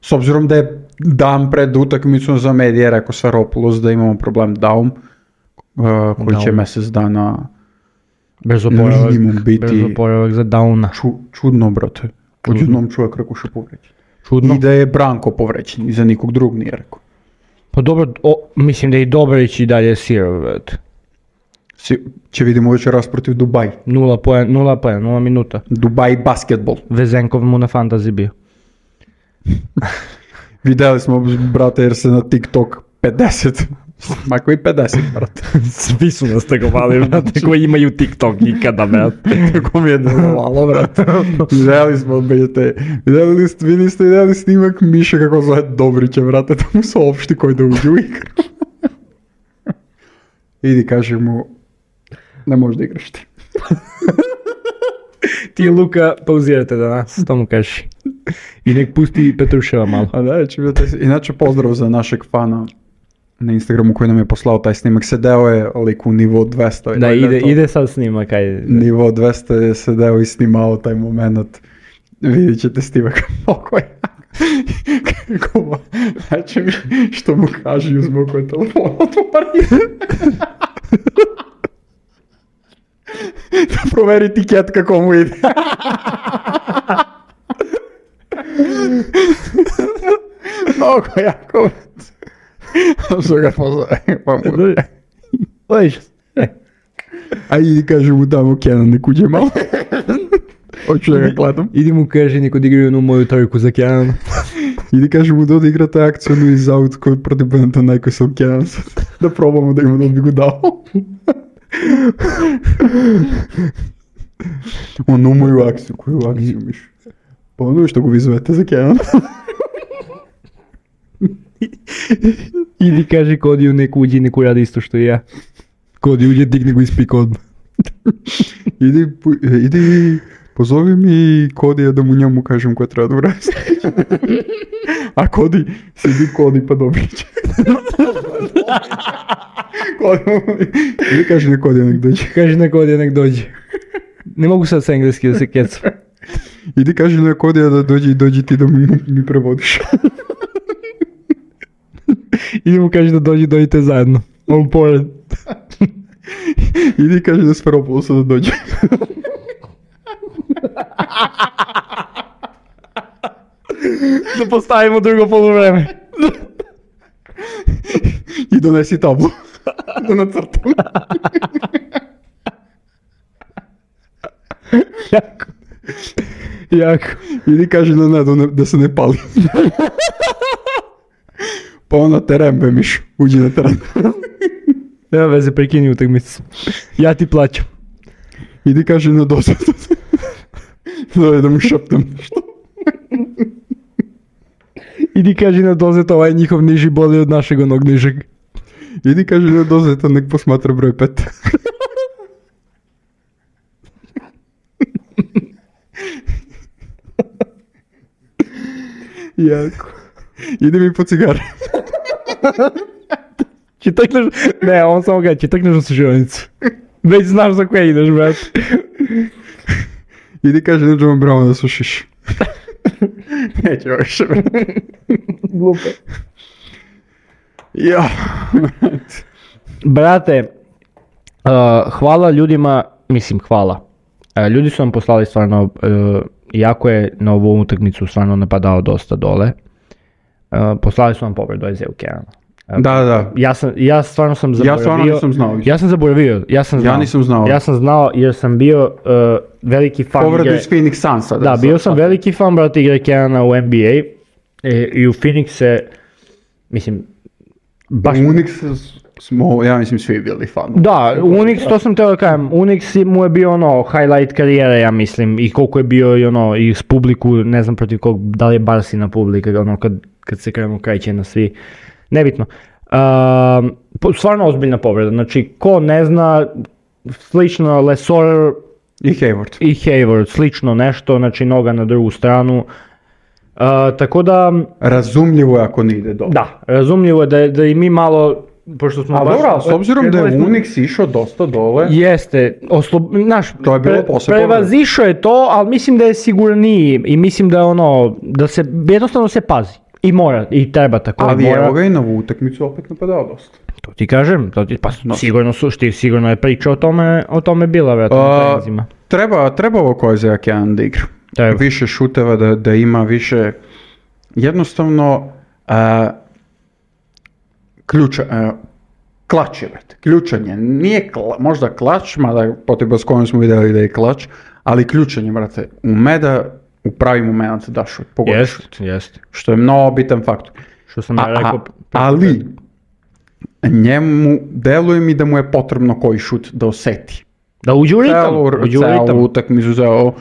S obzirom da je dan pred utakmicom za medije rekao Sfairopoulos da imamo problem Daum, koji će mjesec dana minimum biti. Brzo oporavak za Dauna. Čudno, brate. Odjednom čovjek rekao što povređen. Čudno. I da je Branko povređen, i za nikog drugog nije rekao. Pa dobro, mislim da je i Dobrić i dalje sirov, brate. Će vidimo večeras protiv Dubaj. 0 minuta. Dubaj basketbol. Vezenkov mu na fantasy bio. Vidjeli smo, brate, jer se na TikTok 50. Ma koji 50, brate. Svi su nas tegovali, brate, koji imaju TikTok ikada, brate. Tako mi je delovalo, brate. Vidjeli smo, brate. Vi niste vidjeli snimak Miše kako zove Dobrića, brate, da mu saopšti koji da uđe u igru. Idi, kaži mu, ne možeš da igraš ti. Ti i Luka pauzirate danas, to mu kaži. I nek pusti Petruševa malo. Inače pozdrav za našeg fana na Instagramu koji nam je poslao taj snimak. Sedeo je lik u nivo 200. Da, ide sad snimak. Ajde. Nivo 200 je sedeo i snimao taj moment. Vidjet ćete snimak. Oko je. Kako, znači mi što mu kaže i uzme koji telefon otvori. Da proveri tiket kako mu ide. Mnogo jako. Što ga pozove, pa mu... A idi kaže mu tamo Kenan nek uđe malo. Hoću da ga gledam. Idi mu kaže nek odigraju onu moju trojku za Kenan. Idi kaže mu da odigrate akciju iz aut koji protiv Panathinaikos sam Kenan. Da probamo da ima da bi go dao. Onu moju akciju, koju akciju miš? Pa ono što go vi zovete za Kenan. Idi kaže Kodiju nek uđi i nek uradi isto što i ja. Kodi uđe, digni go ispika odmah. Idi, pozovi mi Kodija da mu njemu kažem koja treba da uradi. A Kodi, sidi Kodi pa dobit će. Ili kaže na Kodija nek dođe. Kaže na Kodija nek dođe. Ne mogu sad sa engleski da se kecam. Idi kaže na Kodija da dođe i dođi ti da mi prevodiš. Idi mu kaže da dođite zajedno. On pored. Idi kaže da Sferopoulosa da dođe. Da postavimo drugo poluvreme. I donesi tablu. Da nacrtam. Jako. Ili kaže na Nedu da se ne pali. Pa on na teren bemiš. Uđi na teren. Nema veze, prekini utakmicu. Ja ti plaćam. Idi kaže na dozu. Da mu šaptam nešto. Idi kaže na dozet, ovaj njihov niži boli od našeg onog nižeg. Idi kaže na dozeta, nek posmatra broj 5. Jako. Idi mi po cigare. Čitakneš, ne, on samo kaže, čitakneš u sužionicu. Već znaš za koje ideš, brat. Idi kaže na John Brown da sušiš. Neće više, brat. Glupe. Ja. Brate, hvala ljudima, mislim hvala. Ljudi su vam poslali stvarno, jako je na ovu utakmicu stvarno napadao dosta dole. Poslali su vam povredu Isaiah Canana. Da. Ja stvarno sam zaboravio. Ja stvarno nisam znao. Ja sam zaboravio. Ja nisam znao. Ja sam znao jer sam bio veliki fan. Povredu iz Phoenix Sunsa. Da, bio sam veliki fan, brate, igre Canana u NBA. I u Phoenix se, mislim, baš... Unix smo, ja mislim, svi bili fan. Da, Unix, to sam teo da kažem, Unix mu je bio ono, highlight karijere, ja mislim, i koliko je bio i ono, i s publiku, ne znam protiv kog, da li je Barsina publika, ono, kad se krenu krajće na svi, nebitno. Stvarno ozbiljna povreda, znači, ko ne zna, slično Lesor I Hayward, slično nešto, znači, noga na drugu stranu. Tako da... Razumljivo je ako ne ide dobro. Da, razumljivo je da i mi malo... Pošto smo baš, dobro, s obzirom da je Unix išao dosta dole... Jeste, to je bilo posle prevazišao je to, ali mislim da je sigurniji i mislim da je ono, da se, jednostavno se pazi. I mora, i treba tako. Ali evo ga i na ovu utakmicu opet napadao dosta. To ti kažem, pa sigurno je priča o tome bila, vjerojatno na trenizima. Treba ovo ko je za Kenan da igra. Više šuteva, da ima više, jednostavno, klač je, brate. Ključanje. Nije možda klač, mada potreba s kojom smo vidjeli da je klač, ali ključanje, brate. Ume da u pravi moment da šut, pogodi šut. Jest. Što je mnogo bitan faktor. Što sam ja rekao. Ali, njemu, deluje mi da mu je potrebno koji šut da oseti. Da uđe u ritam. Celu utakmicu,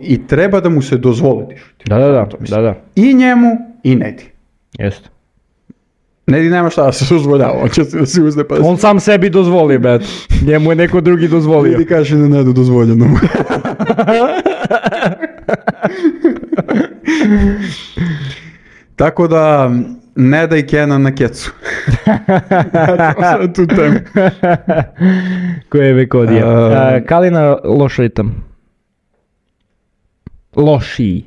i treba da mu se dozvoli šut. Da. I njemu, i Nedi. Jeste. Nedi nema šta da se dozvoljava, on će se da se uzne pa... On sam sebi dozvoli, bet. Njemu je neko drugi dozvolio. Nedi kaže na Nedu dozvoljeno. Tako da, Neda i Kenan na kecu. Sad tu temu. Koje je Vekodija. Kalina loš ritam. Lošiji.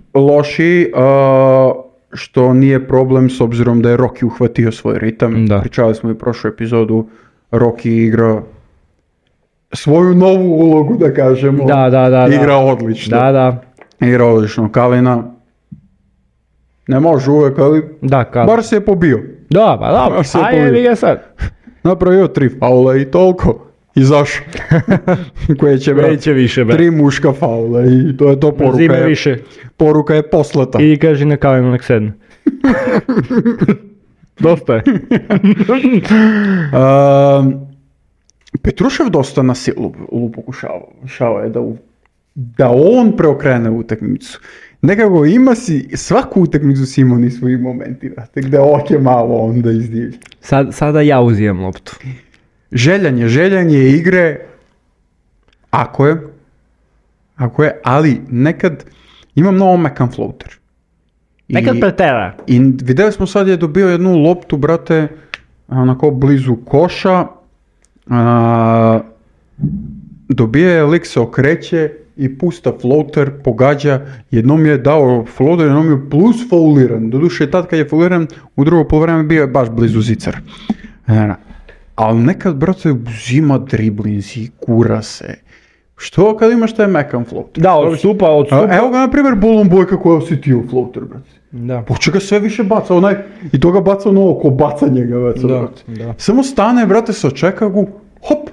što nije problem s obzirom da je Rocky uhvatio svoj ritam. Da. Pričali smo i prošlu epizodu, Rocky igra svoju novu ulogu, da kažemo. Da. Igra odlično. Da. Igra odlično. Kalina ne može uvek, ali bar se je pobio. Da, pa da, a jebi ga sad. Napravio 3 faula i toliko. Izašao. Koje će, Neće više, brat. 3 muška faula i to je to poruka. Zime više. Poruka je poslata. I kaži na Kalinu nek sedne. Dosta je. Petrušev dosta na silu pokušava je da on preokrene utakmicu. Nekako svaku utakmicu si imao ni svojih momenti, vrate, gde oke malo onda izdivlja. Sada ja uzimam loptu. Željanje igre, ako je, ali nekad ima mnogo mekan floater. Nekad pretera. I vidjeli smo sad je dobio jednu loptu, brate, onako blizu koša, dobije je, lik se okreće i pusta floater, pogađa, jednom je dao floater, jednom je plus fauliran, doduše tad kad je fauliran, u drugo poluvreme bio je baš blizu zicar. Ali nekad, brate, uzima driblinzi, kura se. Što kad imaš taj mekan floater? Da, odstupa. Evo ga, na primjer, Bolon Bojka koja osjetio floater, brate. Da. Poče ga sve više baca, i to ga baca ono oko bacanja ga baca, brate. Da. Samo stane, brate, se očeka ga, hop,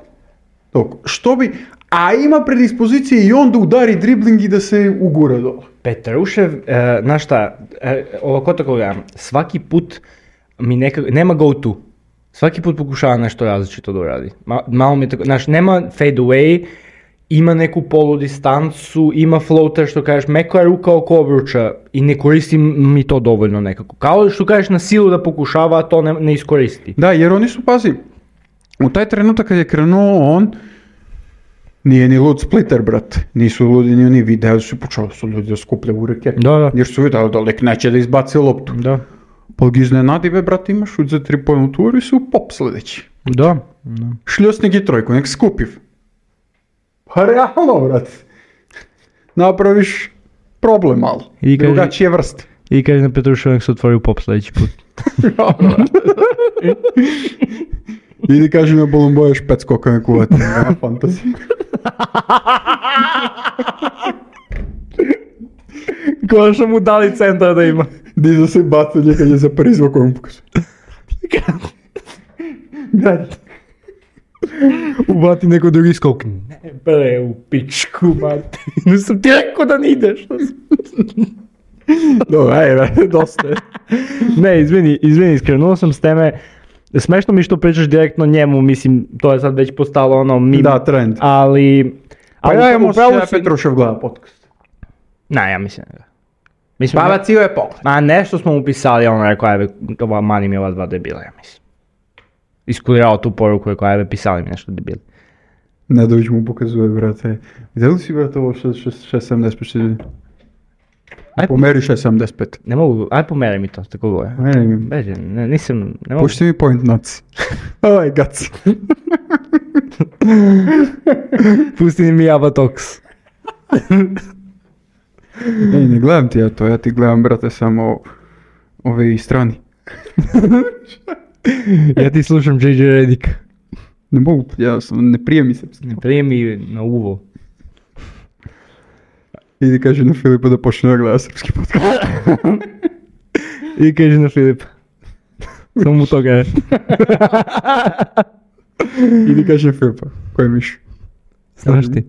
što bi, a ima predispozicije i onda udari dribling i da se ugura dole. Petrušev, znaš šta, ovako tako gledam, svaki put mi nema go to. Svaki put pokušava nešto različito da uradi. Malo mi tako, znaš, nema fade away, ima neku polu distancu, ima floater što kažeš, meko je ruka oko obruča i ne koristi mi to dovoljno nekako. Kao što kažeš na silu da pokušava, a to ne iskoristi. Da, jer oni su, pazi, u taj trenutak kad je krenuo on, nije ni lud splitter, brate. Nisu ludi ni oni video, počeli su ljudi da skupljaju ruke. Da. Jer su vidjeli da lik neće da izbaci loptu. Da. Pa ga iznenadi, brate, imaš šut za 3-point tur i su pop sledeći. Da. Šljosnik i trojku, nek skupiv. Pa realno, brate. Napraviš problem malo. I drugačije vrste. I kaže na Petrušev nek se otvori u pop sledeći put. Idi kaži na Bolon Boja špec koka me kuvati. Nema fantazije. Konačno mu dali centra da ima. Diza se bacanje kad je za prizvao kojom pokazuje. Gledajte. Ubati neko drugi skok. Ne bre, u pičku, mati. Ne sam ti rekao da ne ideš. Dobro, ajde, dosta je. Ne, izvini, skrenuo sam s teme. Smešno mi što pričaš direktno njemu, mislim, to je sad već postalo ono meme. Da, trend. Ali Pa ja imamo se Petrušev gleda podcast. Ne, ja mislim da. Pa bacio je pogled. Ma nešto smo mu pisali, on rekao, ajde, mani mi ova dva debila, ja mislim. Iskulirao tu poruku, rekao, ajde, pisali mi nešto debili. Nedović mu pokazuje, brate. Vidjeli si, brate, ovo 6.75? Pomeri 6.75. Ne mogu, ajde pomeri mi to, tako goje. Pomeri mi. Beže, nisam, ne mogu. Pušti mi point nuts. Oj, gac. Pusti mi Abatox. Ej, ne gledam ti ja to, ja ti gledam, brate, samo ove strani. Ja ti slušam JJ Redick. Ne mogu, ne prije mi srpski. Ne prije mi na uvo. Idi kaži na Filipa da počne da gleda srpski podcast. Idi kaži na Filipa. Samo mu toga je. Idi kaži na Filipa, ko je miš? Znaš ti.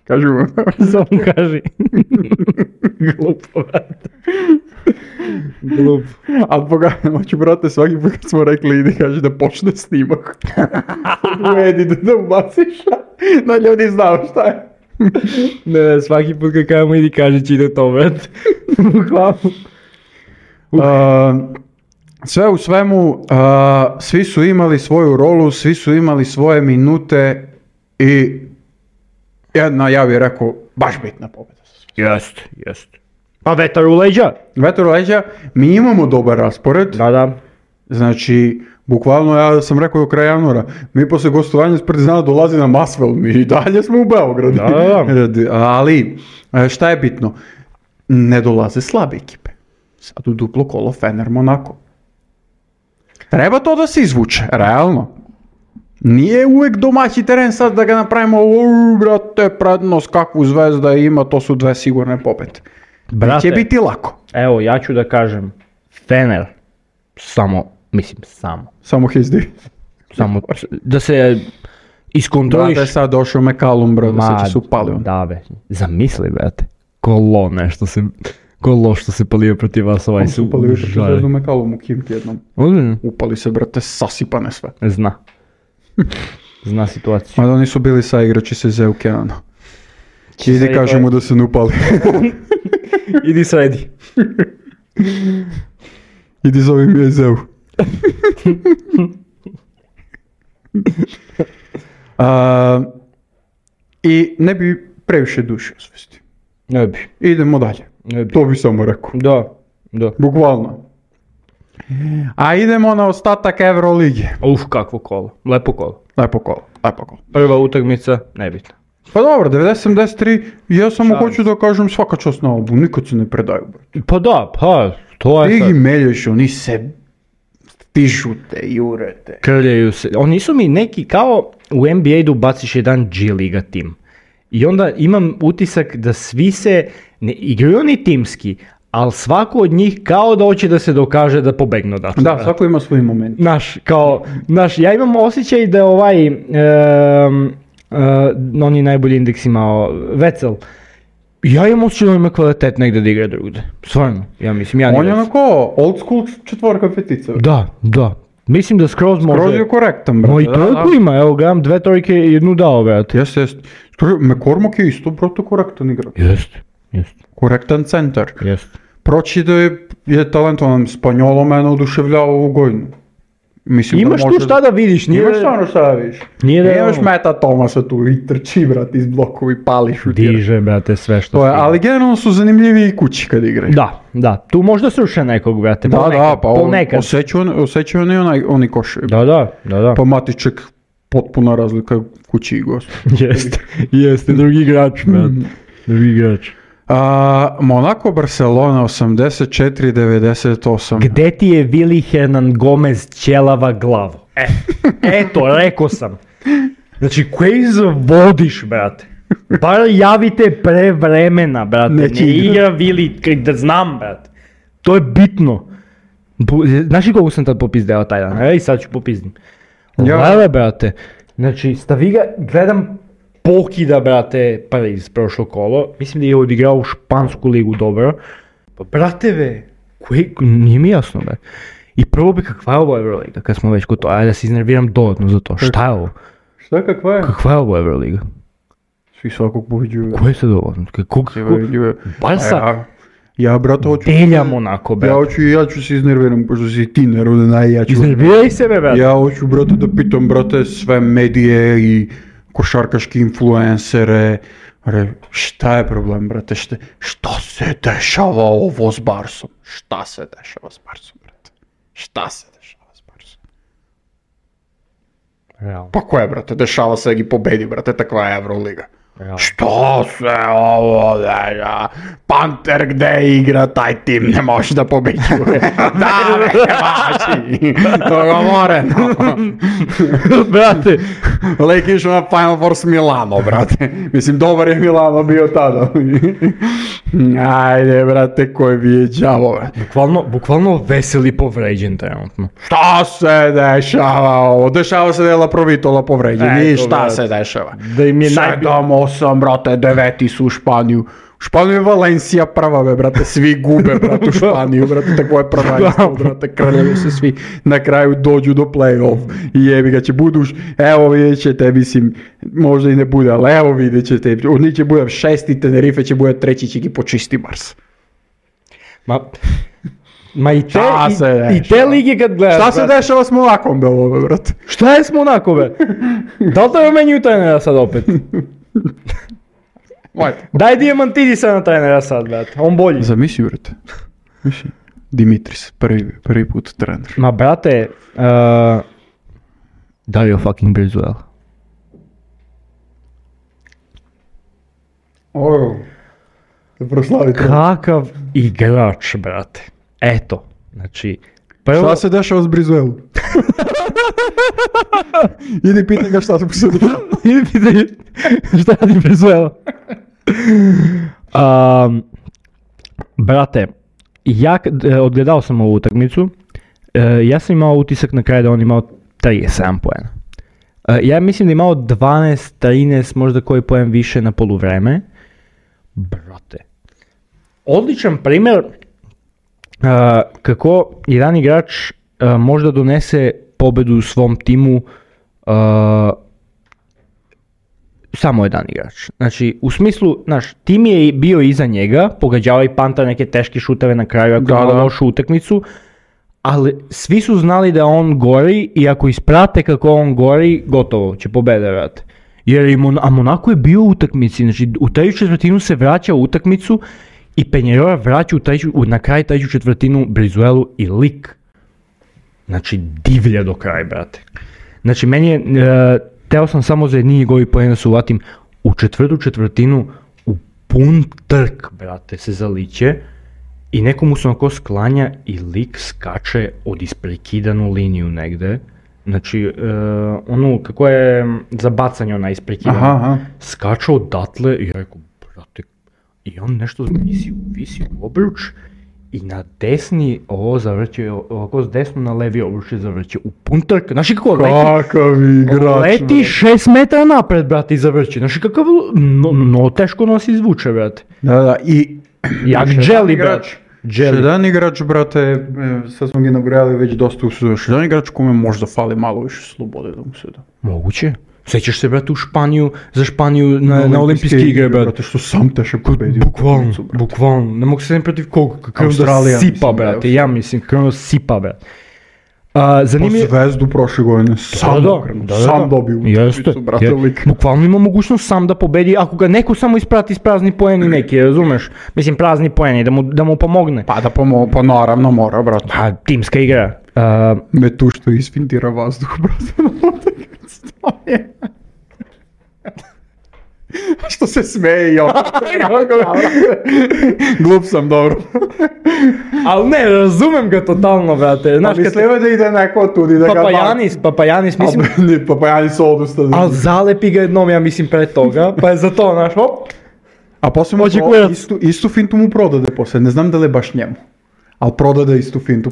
Kaži mu. Samo kaži. Glupo, brate. Glup. Ali pogledaj, hoću, brate, svaki put kad smo rekli idi kaži da počne snimak. Edi da ubaciš, da ljudi znao šta je. Ne, svaki put kad kajemo idi kaži će ide to, brate. Sve u svemu, svi su imali svoju rolu, svi su imali svoje minute i jedna, ja bih rekao, baš bitna pobjeda. Jest. Pa vetar u leđa. Vetar u leđa, mi imamo dobar raspored. Da. Znači, bukvalno ja sam rekao do kraja januara, mi posle gostovanja s Partizana dolazi na Masvel, mi i dalje smo u Beogradu. Da. Ali, šta je bitno? Ne dolaze slabe ekipe. Sad u duplo kolo Fener Monako. Treba to da se izvuče, realno. Nije uvek domaći teren sad da ga napravimo, brate, prednost kakvu Zvezda ima, to su 2 sigurne pobede. Brate, Će biti lako. evo, ja ću da kažem, Fener, samo da se iskontroliš. Brate, sad došao McCallum, brate, sad će se upali on. Da, be, zamisli, brate, kolo što se palio protiv vas ovaj su. Upali protiv Zvezdu McCallum u Kimki jednom. Upali se, brate, sasipane sve. Zna situaciju. Mada oni su bili sa igrači se Zeu Kenano. Idi kažemo da se ne upali. Idi sredi. Idi zove mi je Zeu. I ne bi previše duše osvesti. Ne bi. Idemo dalje. To bi samo rekao. Da. Bukvalno. A idemo na ostatak Evrolige. Kakvo kolo. Lepo kolo. Lepo kolo. Prva utakmica, nebitna. Pa dobro, 90-73, ja samo hoću da kažem svaka čast na album, nikad se ne predaju, brate. Pa da, to je sad. Ti ih meljaš, oni se stižute, jurete. Krljaju se. Oni su mi neki kao u NBA-u baciš jedan G-liga tim. I onda imam utisak da svi se, ne igraju oni timski, ali svako od njih kao da hoće da se dokaže da pobegnu odatle. Da, svako ima svoj moment. Ja imam osjećaj da on je najbolji indeks imao, Vecel. Ja imam osjećaj da ima kvalitet negdje da igra drugde. Stvarno, ja mislim. On je onako old school 4 petica. Da. Mislim da skroz može. Skroz je korektan, brate. No i toliko ima, evo gledam 2 trojke i 1 dao, brate. Jeste. McCormack je isto, brate, korektan igrač. Jeste. Korektan centar. Jeste. Proći da je talentovan, Spanjolo mene oduševljava u Gojnu. Mislim imaš tu šta da vidiš, Imaš stvarno šta da vidiš. Imaš Meta Tomasa tu i trči, brate, iz blokovi, pali, šutira. Diže, brate, sve što stiže. Ali generalno su zanimljivi i kući kad igraju. Da. Tu možda sruše nekog, brate. Ponekad. Osjećaju oni košaju. Da. Pa Matiček, potpuna razlika kući i gost. Jeste, drugi igrač, brate. Drugi igrač. Monaco Barcelona 84-98. Gde ti je Willy Hernan Gomez ćelava glavu? Eto, rekao sam. Znači, koji zavodiš, brate? Bar javite pre vremena, brate. Ne igra Willy, da znam, brate. To je bitno. Znaš li kogu sam tad popizdeo taj dan? I sad ću popizdim. Lele, brate. Znači, stavi ga, gledam pokida, brate, Pariz prošlo kolo. Mislim da je odigrao u špansku ligu dobro. Pa, brate, nije mi jasno, brate. I prvo bi kakva je ovo Euroliga, kad smo već kod to, ajde da se iznerviram dodatno za to. Šta je ovo? Šta kakva je? Kakva je ovo Euroliga? Svi svakog pobeđuju. Ko je sad ovo? Barsa? Ja, brate, hoću... Delja Monako, brate. Ja ću se iznerviram, pošto si ti neroden, ja ću... Iznerviraj sebe, brate. Ja hoću, brate, da pitam, brate, sve medije i košarkaški influencere. Šta je problem, brate? Šta se dešava ovo s Barsom? Šta se dešava s Barsom, brate? Šta se dešava s Barsom? Realno. Pa ko je, brate? Dešava se i pobedi, brate, takva je Euroliga. Što se ovo deša? Panter gde igra taj tim ne može da pobeđuje. Da, vaći. Dogovoreno. Brate. Lek išao na Final Four s Milano, brate. Mislim, dobar je Milano bio tada. Ajde, brate, koji bi je đavo, brate. Bukvalno veseli povređen trenutno. Šta se dešava ovo? Dešava se da je Laprovitola povređen. I šta se dešava? Da im je 7-8, brate, 9 su u Španiju. U Španiju je Valencija prva, brate, svi gube, brate, u Španiju, brate, tako je prvenstvo, brate, krljaju se svi, na kraju dođu do play-off i jebi ga će buduš, evo vidjet ćete, mislim, možda i ne bude, ali evo vidjet ćete, oni će bude 6. Tenerife će bude 3. će gi počisti Mars. Ma i te lige kad gledaš, šta se dešava s Monakom, ovo, brate? Šta je s Monakom, be? Da li te menjuju trenera sad opet? Daj Diamantidisa na trenera sad, brate, on bolji. Zamisli, brate. Dimitris, prvi put trener. Ma, brate, Dario fucking Brizuela. Te proslavi to. Kakav igrač, brate. Eto, znači, prvo... Šta se dešava s Brizuelu? Idi pitaj ga šta se posudio. Idi pitaj šta radi Brizuela. Brate, ja odgledao sam ovu utakmicu, ja sam imao utisak na kraju da on imao 37 poena. Ja mislim da je imao 12, 13, možda koji poen više na poluvreme. Brate, odličan primjer kako jedan igrač možda donese pobedu u svom timu samo jedan igrač. Znači, u smislu, znaš, tim je bio iza njega, pogađava i Panter neke teške šuteve na kraju ako ima lošu utakmicu, ali svi su znali da on gori i ako isprate kako on gori, gotovo, će pobede, vrate. Jer a Monaco je bio u utakmici, znači u treću četvrtinu se vraća u utakmicu i Penjerora vraća na kraj treću četvrtinu Brizuelu i lik. Znači, divlja do kraja, brate. Znači, meni je, teo sam samo za jedni njegovi poena da se uvatim u četvrtu četvrtinu u pun trk, brate, se zaliće i nekomu se onako sklanja i lik skače od isprekidanu liniju negde. Znači, kako je za bacanje ona isprekidana, skače odatle i rekao, brate, i on nešto visi u obruč i na desni ovo zavrće, ovako s desno na levi obruč je zavrće u pun trk. Znaš kako leti 6 metara napred, brate, i zavrće. Znaš kakav, teško nos izvuče, brate. Da, i... Jak dželi, brate. Jedan igrač, brate, sad smo ga nabrojali već dosta u sezonu, jedan igrač kome možda fali malo više slobode da mu se da. Moguće. Sećaš se, brate, za Španiju na olimpijske igre, brate. Što sam teško pobedio. Bukvalno. Ne mogu se ne protiv koga, kako da sipa, brate. Ja mislim, kako sipa, brate. Po Zvezdu prošle godine sam dobio. Jeste, bukvalno ima mogućnost sam da pobedi, ako ga neko samo isprati s prazni poeni neki, razumeš? Mislim, prazni poeni, da mu pomogne. Pa pa naravno mora, brate. Pa, timska igra. Me tu što isfintira vazduh, brate. Što se smeje i opet. Glup sam, dobro. Ali ne, razumem ga totalno, brate. Mislimo da ide neko tudi da ga... Papajanis, mislim... Papajanis odustane. Ali zalepi ga jednom, ja mislim, pre toga, pa je za to, znaš, hop. A poslije istu fintu mu prodade poslije, ne znam da li je baš njemu. Ali prodade istu fintu.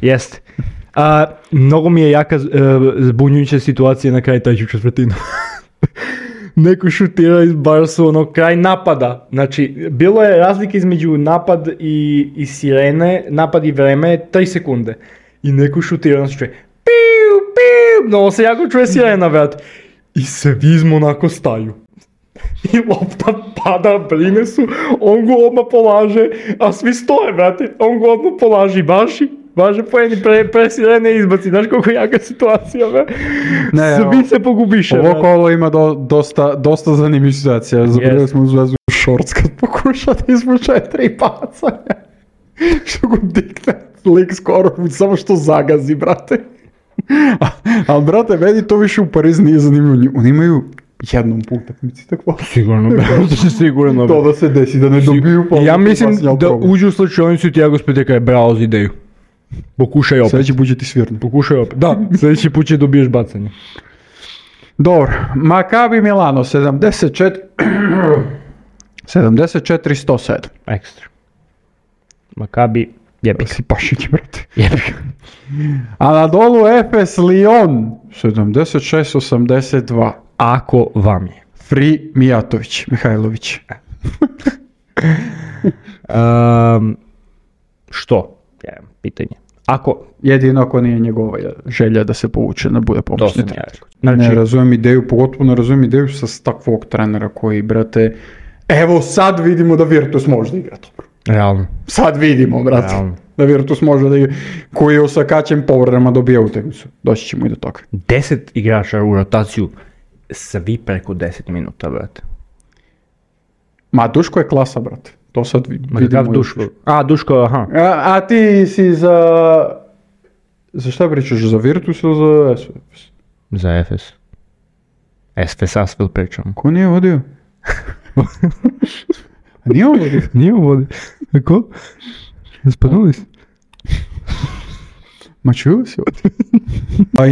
Jeste. Mnogo mi je jaka zbunjujuća situacija na kraju treću četvrtinu. Neko šutira iz Barsu, kraj napada. Znači, bilo je razlika između napad i sirene, napad i vreme, 3 sekunde. I neko šutira, znači čuje, piu, no se jako čuje sirena, vrat. I svi iz onako staju. I lopta pada, brine su, on go odmah polaže, a svi stoje, brate. On go odmah polaži, važe poeni pre sirene izbaci, znaš koliko jaka situacija, be? Svi se pogubiše. Ovo kolo ima dosta zanimljivih situacija. Zabrali smo u Zvezdu šorc kad pokuša da izvuče 3 bacanja. Što go dikne, lik skoro, samo što zagazi, brate. Ali, brate, meni to više u Parizu nije zanimljivo. Oni imaju jednom po utakmici takvo. Sigurno. To da se desi, da ne dobiju. Ja mislim da uđu u slučajnicu i Tiago Speteka je bravo za ideju. Pokušaj opet. Sljedeći put će ti svirno. Pokušaj opet. Da, sljedeći put će dobiješ bacanje. Dobro. Maccabi Milano 74-107. Ekstra. Maccabi jebik. Si pašić, brate. Jebik. A na dolu Efes Lyon 76-82. Ako vam je. Fri Mijatović, Mihajlović. Što? Pitanje. Jedino ako nije njegova želja da se povuče, da bude pomoćni trener. Znači, ne razumijem ideju, pogotovo ne razumijem ideju sa takvog trenera koji, brate, evo sad vidimo da Virtus može da igra dobro. Realno. Sad vidimo, brate, da Virtus može da igra, koji je osakaćen povredama dobija utakmicu. Doći ćemo i do toga. 10 igrača u rotaciju, svi preko 10 minuta, brate. Ma, Duško je klasa, brate. To sad vidimo. Duško? Duško, aha. A ti si za... Za šta pričaš? Za Virtus ili za Efes? Za Efes. Efes Asvel pričam. Ko nije vodio? Nije on vodio? Nije on vodio. Ko? Spadnuli si? Ma čuli si ovdje?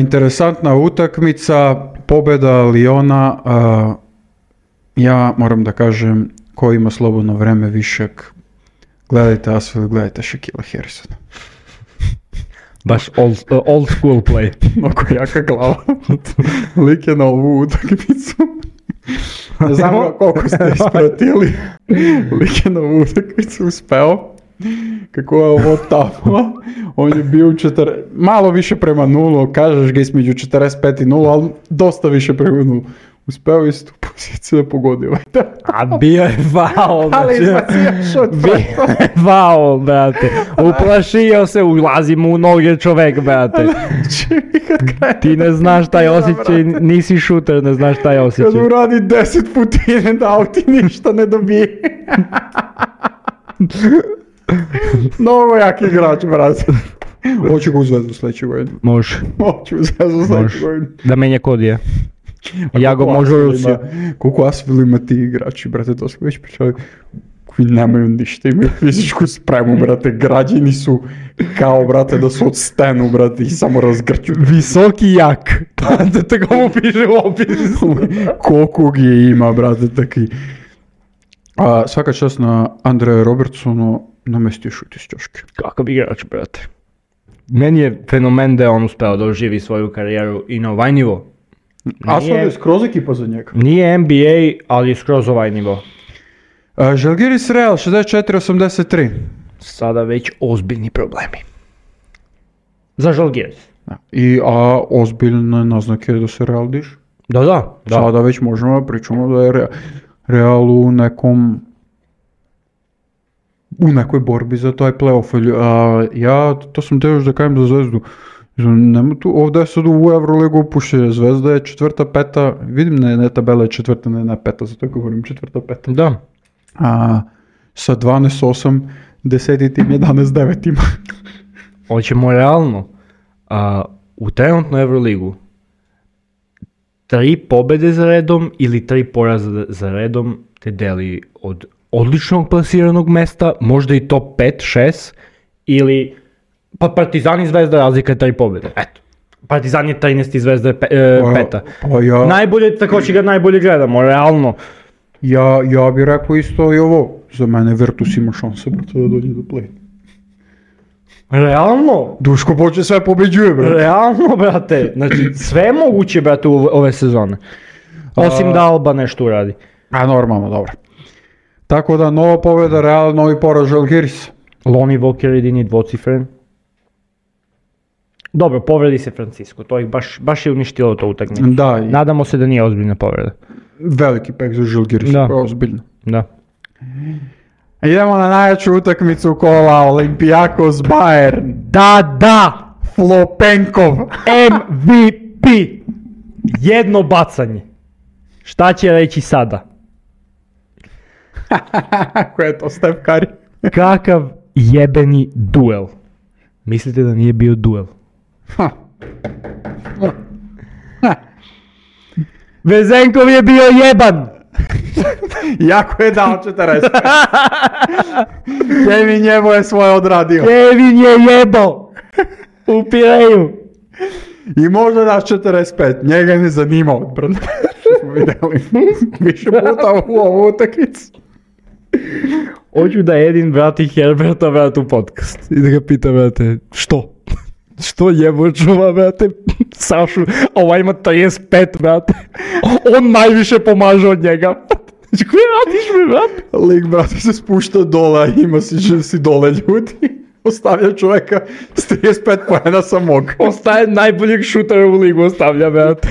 Interesantna utakmica, pobjeda Liona. Ja moram da kažem, ko ima slobodno vreme višak, gledajte Asvel, gledajte Shaquilla Harrisona. Baš old school play. Oko jaka glava. Lik je na ovu utakmicu. Ne znam koliko ste ispratili. Lik je na ovu utakmicu uspeo. Kako je ovo tamo. On je bio malo više prema nulu. Kažeš ga između 45 i 0, ali dosta više prema nulu. Uspeo iz tu poziciju da pogodi ovaj da. A bio je faul. Ali izbacio šut. Bio je faul, brate. Uplašio se, ulazi mu u noge čovek, brate. Ti ne znaš taj osjećaj, nisi šuter, ne znaš taj osjećaj. Kad uradi 10 putine da ti ništa ne dobije. Mnogo jak igrač, brate. Hoću ga u Zvezdu sljedeću godinu. Može. Hoću u Zvezdu sljedeću godinu. Da menja kodije. Ja ga možu u Rusiju. Koliko Asvel ima ti igrači, brate, to smo već pričali. Koji nemaju ništa, imaju fizičku spremu, brate, građeni su kao, brate, da su od stenu, brate, i samo razgrću. Visoki jak. Tako mu piše u opisu. Koliko je ima, brate, taki. Svaka čast na Andreja Robertsonu, namestio šut iz ćoške. Kakav igrač, brate. Meni je fenomen da je on uspeo da oživi svoju karijeru i na ovaj nivo. Asvel je skroz ekipa za njega. Nije NBA, ali je skroz ovaj nivo. Žalgiris Real 64-83. Sada već ozbiljni problemi. Za Žalgiris. A ozbiljne naznake da se Real diže. Da. Sada već možemo pričamo da je Real u nekoj borbi za taj playoff. Ja to sam teo još da kajem za Zvezdu. Nema tu, ovdje je sad u Euroligu upušće, Zvezda je 4., 5., vidim ne tabela je 4., ne 5., zato govorim 4., 5. Da. Sa 12-8, 10. tim 11-9 ima. Hoćemo realno, u trenutnu Euroligu 3 pobjede za redom ili 3 poraza za redom te deli od odličnog plasiranog mesta, možda i top 5, 6, ili pa Partizan i Zvezda razlika je 3 pobjede. Eto. Partizan je 13 i Zvezda je 5. Najbolje, tako će ga najbolje gledamo, realno. Ja bih rekao isto i ovo. Za mene Virtus ima šanse, brate, da dođe do play. Realno? Duško počne sve pobeđuje, brate. Realno, brate. Znači, sve je moguće, brate, ove sezone. Osim da Alba nešto uradi. Normalno, dobro. Tako da, nova pobjeda, Real, novi poraz Žalgiris. Lonnie Walker jedini dvocifren. Dobro, povredi se Francisco, to ih baš je uništilo to utakmicu. Da. Nadamo se da nije ozbiljna povreda. Veliki pek za Žalgiris, ozbiljno. Da. Idemo na najjaču utakmicu kola, Olympiakos Bayern. Da! Flopenkov. MVP. Jedno bacanje. Šta će reći sada? Ko je to, Steph Curry? Kakav jebeni duel. Mislite da nije bio duel? Vezenkov je bio jeban. Jako je dao 40. Kevin Jebo je svoje odradio. Kevin je jebo. U Pireju. I možda daš 45. Njega ne zanima odbrana. Što smo vidjeli više puta u ovu utakmicu. Hoću da Edin vrati Herberta, vrati u podcast. I da ga pita, vrate, što? Što jebo čuva, vrate, Sašu, ovaj ima 35, vrate. On najviše pomaže od njega. Znači, koje radiš mi, vrate? Lik, brate, se spušta dole, ima si dole ljudi. Ostavlja čovjeka s 35 pojena samog. Ostaje najboljeg šutera u ligu, ostavlja, vrate.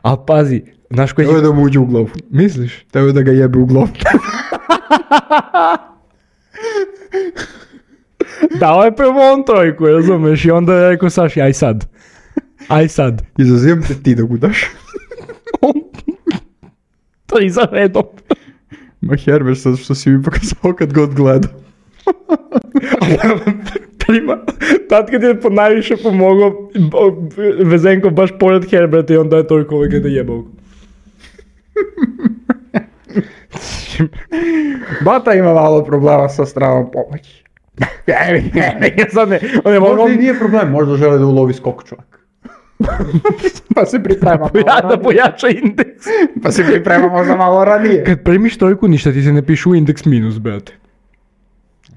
A pazi, znaš koji... Teo je da mu uđe u glavu. Misliš? Teo je da ga jebe u glavu. Dao je prvo on trojku, razumeš, i onda je rekao Saši, aj sad. Izazivam te ti da ga daš. To i za redom. Ma Herbert, sad što si mi pokazao kad god gleda. Prima, tad kad je najviše pomogao Vezenko baš pored Herberta i onda je toliko ovaj kada jebao. Bata ima malo problema sa stranom pomoći. Sad ne Možda i nije problem, možda žele da ulovi skok čovjek. Pa se priprema da pojača indeks. Pa se priprema možda malo ranije. Kad primiš trojku, ništa ti se ne piše u indeks minus, brate.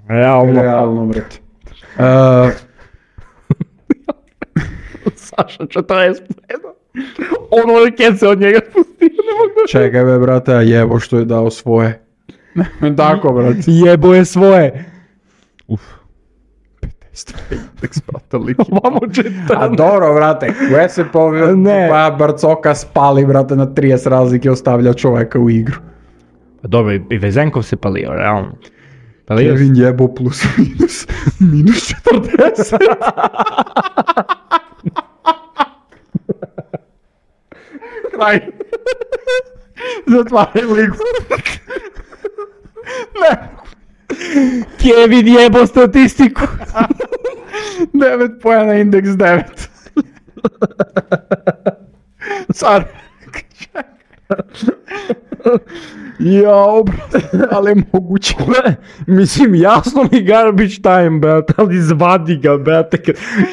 Realno, brate. Saša 40 pojena. Ono kad se od njega spustio, ne mogu da... Čekaj be, brate, a jebo što je dao svoje. Tako, brate. Jebo je svoje. Uf. 50 indeks, brate, liki. Vamo 14. A dobro, brate, koje se Ne. pa Barcoka spali, brate, na 30 razlike ostavlja čovjeka u igru. Pa dobro, i Vezenkov se palio, realno. Palio se. Kevin jebo plus minus 40. Kraj. Zatvaraj ligu. Ne. Kevin jebo statistiku. 9 pojena, indeks 9. Sad. Jao, brate, ali je moguće. Mislim, jasno mi garbage time, brate, ali zvadi ga, brate,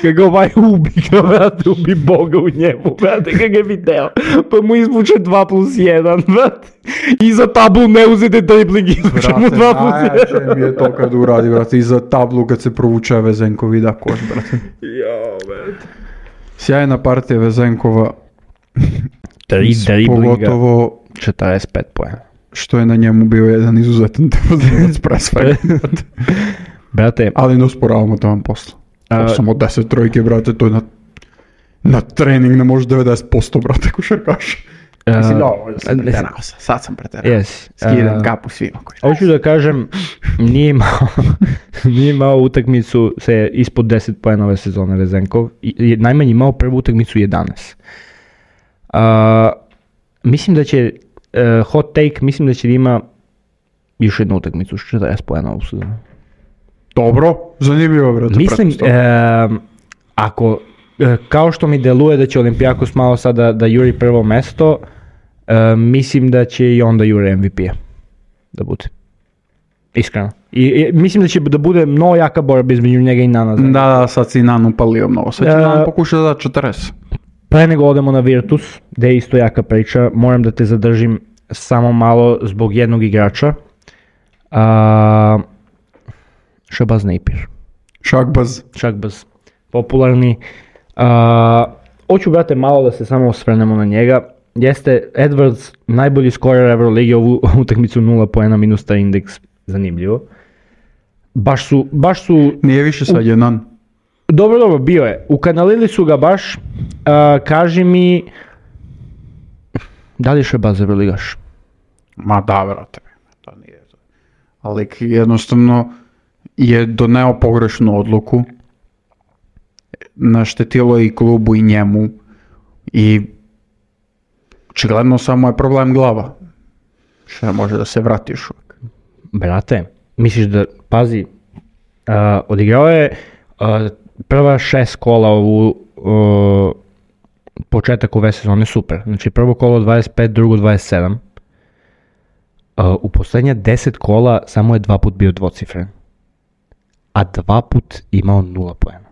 kad ga ovaj ubi ga, brate, ubi Boga u njemu, brate, kad ga je video, pa mu izvuče 2+1, brate, i za tablu ne uzete dribling, izvuče mu 2+1. Najjače mi je to kad uradi, brate, i za tablu kad se provuče Vezenko vida koš, brate. Jao, brate. Sjajna partija Vezenkova, 3 driblinga, pogotovo 45 pojena. što je na njemu bio jedan izuzetan defanzivac presvega. Brate, Ali ne usporavamo to vam posla. Samo 10 trojke, brate, to je na trening ne može 90%, brate, košarkaša. Mislim, dobro, sam preterao, sad sam preterao. yes. Skidam kapu svima koji Hoću da kažem, nije imao utakmicu se ispod 10 poena ove sezone Vezenkov. Najmanje imao prvu utakmicu 11. Mislim da će, hot take, mislim da će da ima još jednu utakmicu s 40 poena ovu sezonu. Dobro, zanimljivo, brate. Mislim, ako, kao što mi deluje da će Olimpijakos malo sada da juri prvo mesto, mislim da će i onda juri MVP-a da bude. Iskreno. I mislim da će da bude mnogo jaka borba između njega i Nana. Da, sad si Nan upalio mnogo. Sad će Nan pokuša da da 40. Pre nego odemo na Virtus, gde je isto jaka priča, moram da te zadržim samo malo zbog jednog igrača. Shabazz Napier. Shakbaz. Popularni. Hoću, brate, malo da se samo osvrnemo na njega. Jeste Edwards, najbolji skorer Euroligi, ovu utakmicu 0 poena minus taj indeks, zanimljivo. Baš su... Nije više sad je Nan. Dobro, bio je. Ukanalili su ga baš. Kaži mi, da li je Shabazz Euroligaš? Ma da, brate. To nije to. Ali jednostavno je doneo pogrešnu odluku. Naštetilo i klubu i njemu. I očigledno samo je problem glava. Što može da se vrati još uvijek. Brate, misliš da, pazi, odigrao je prva 6 kola ovu početak ove sezone super. Znači prvo kolo 25, drugo 27. U posljednja 10 kola samo je 2 put bio dvocifren. A 2 put imao 0 poena.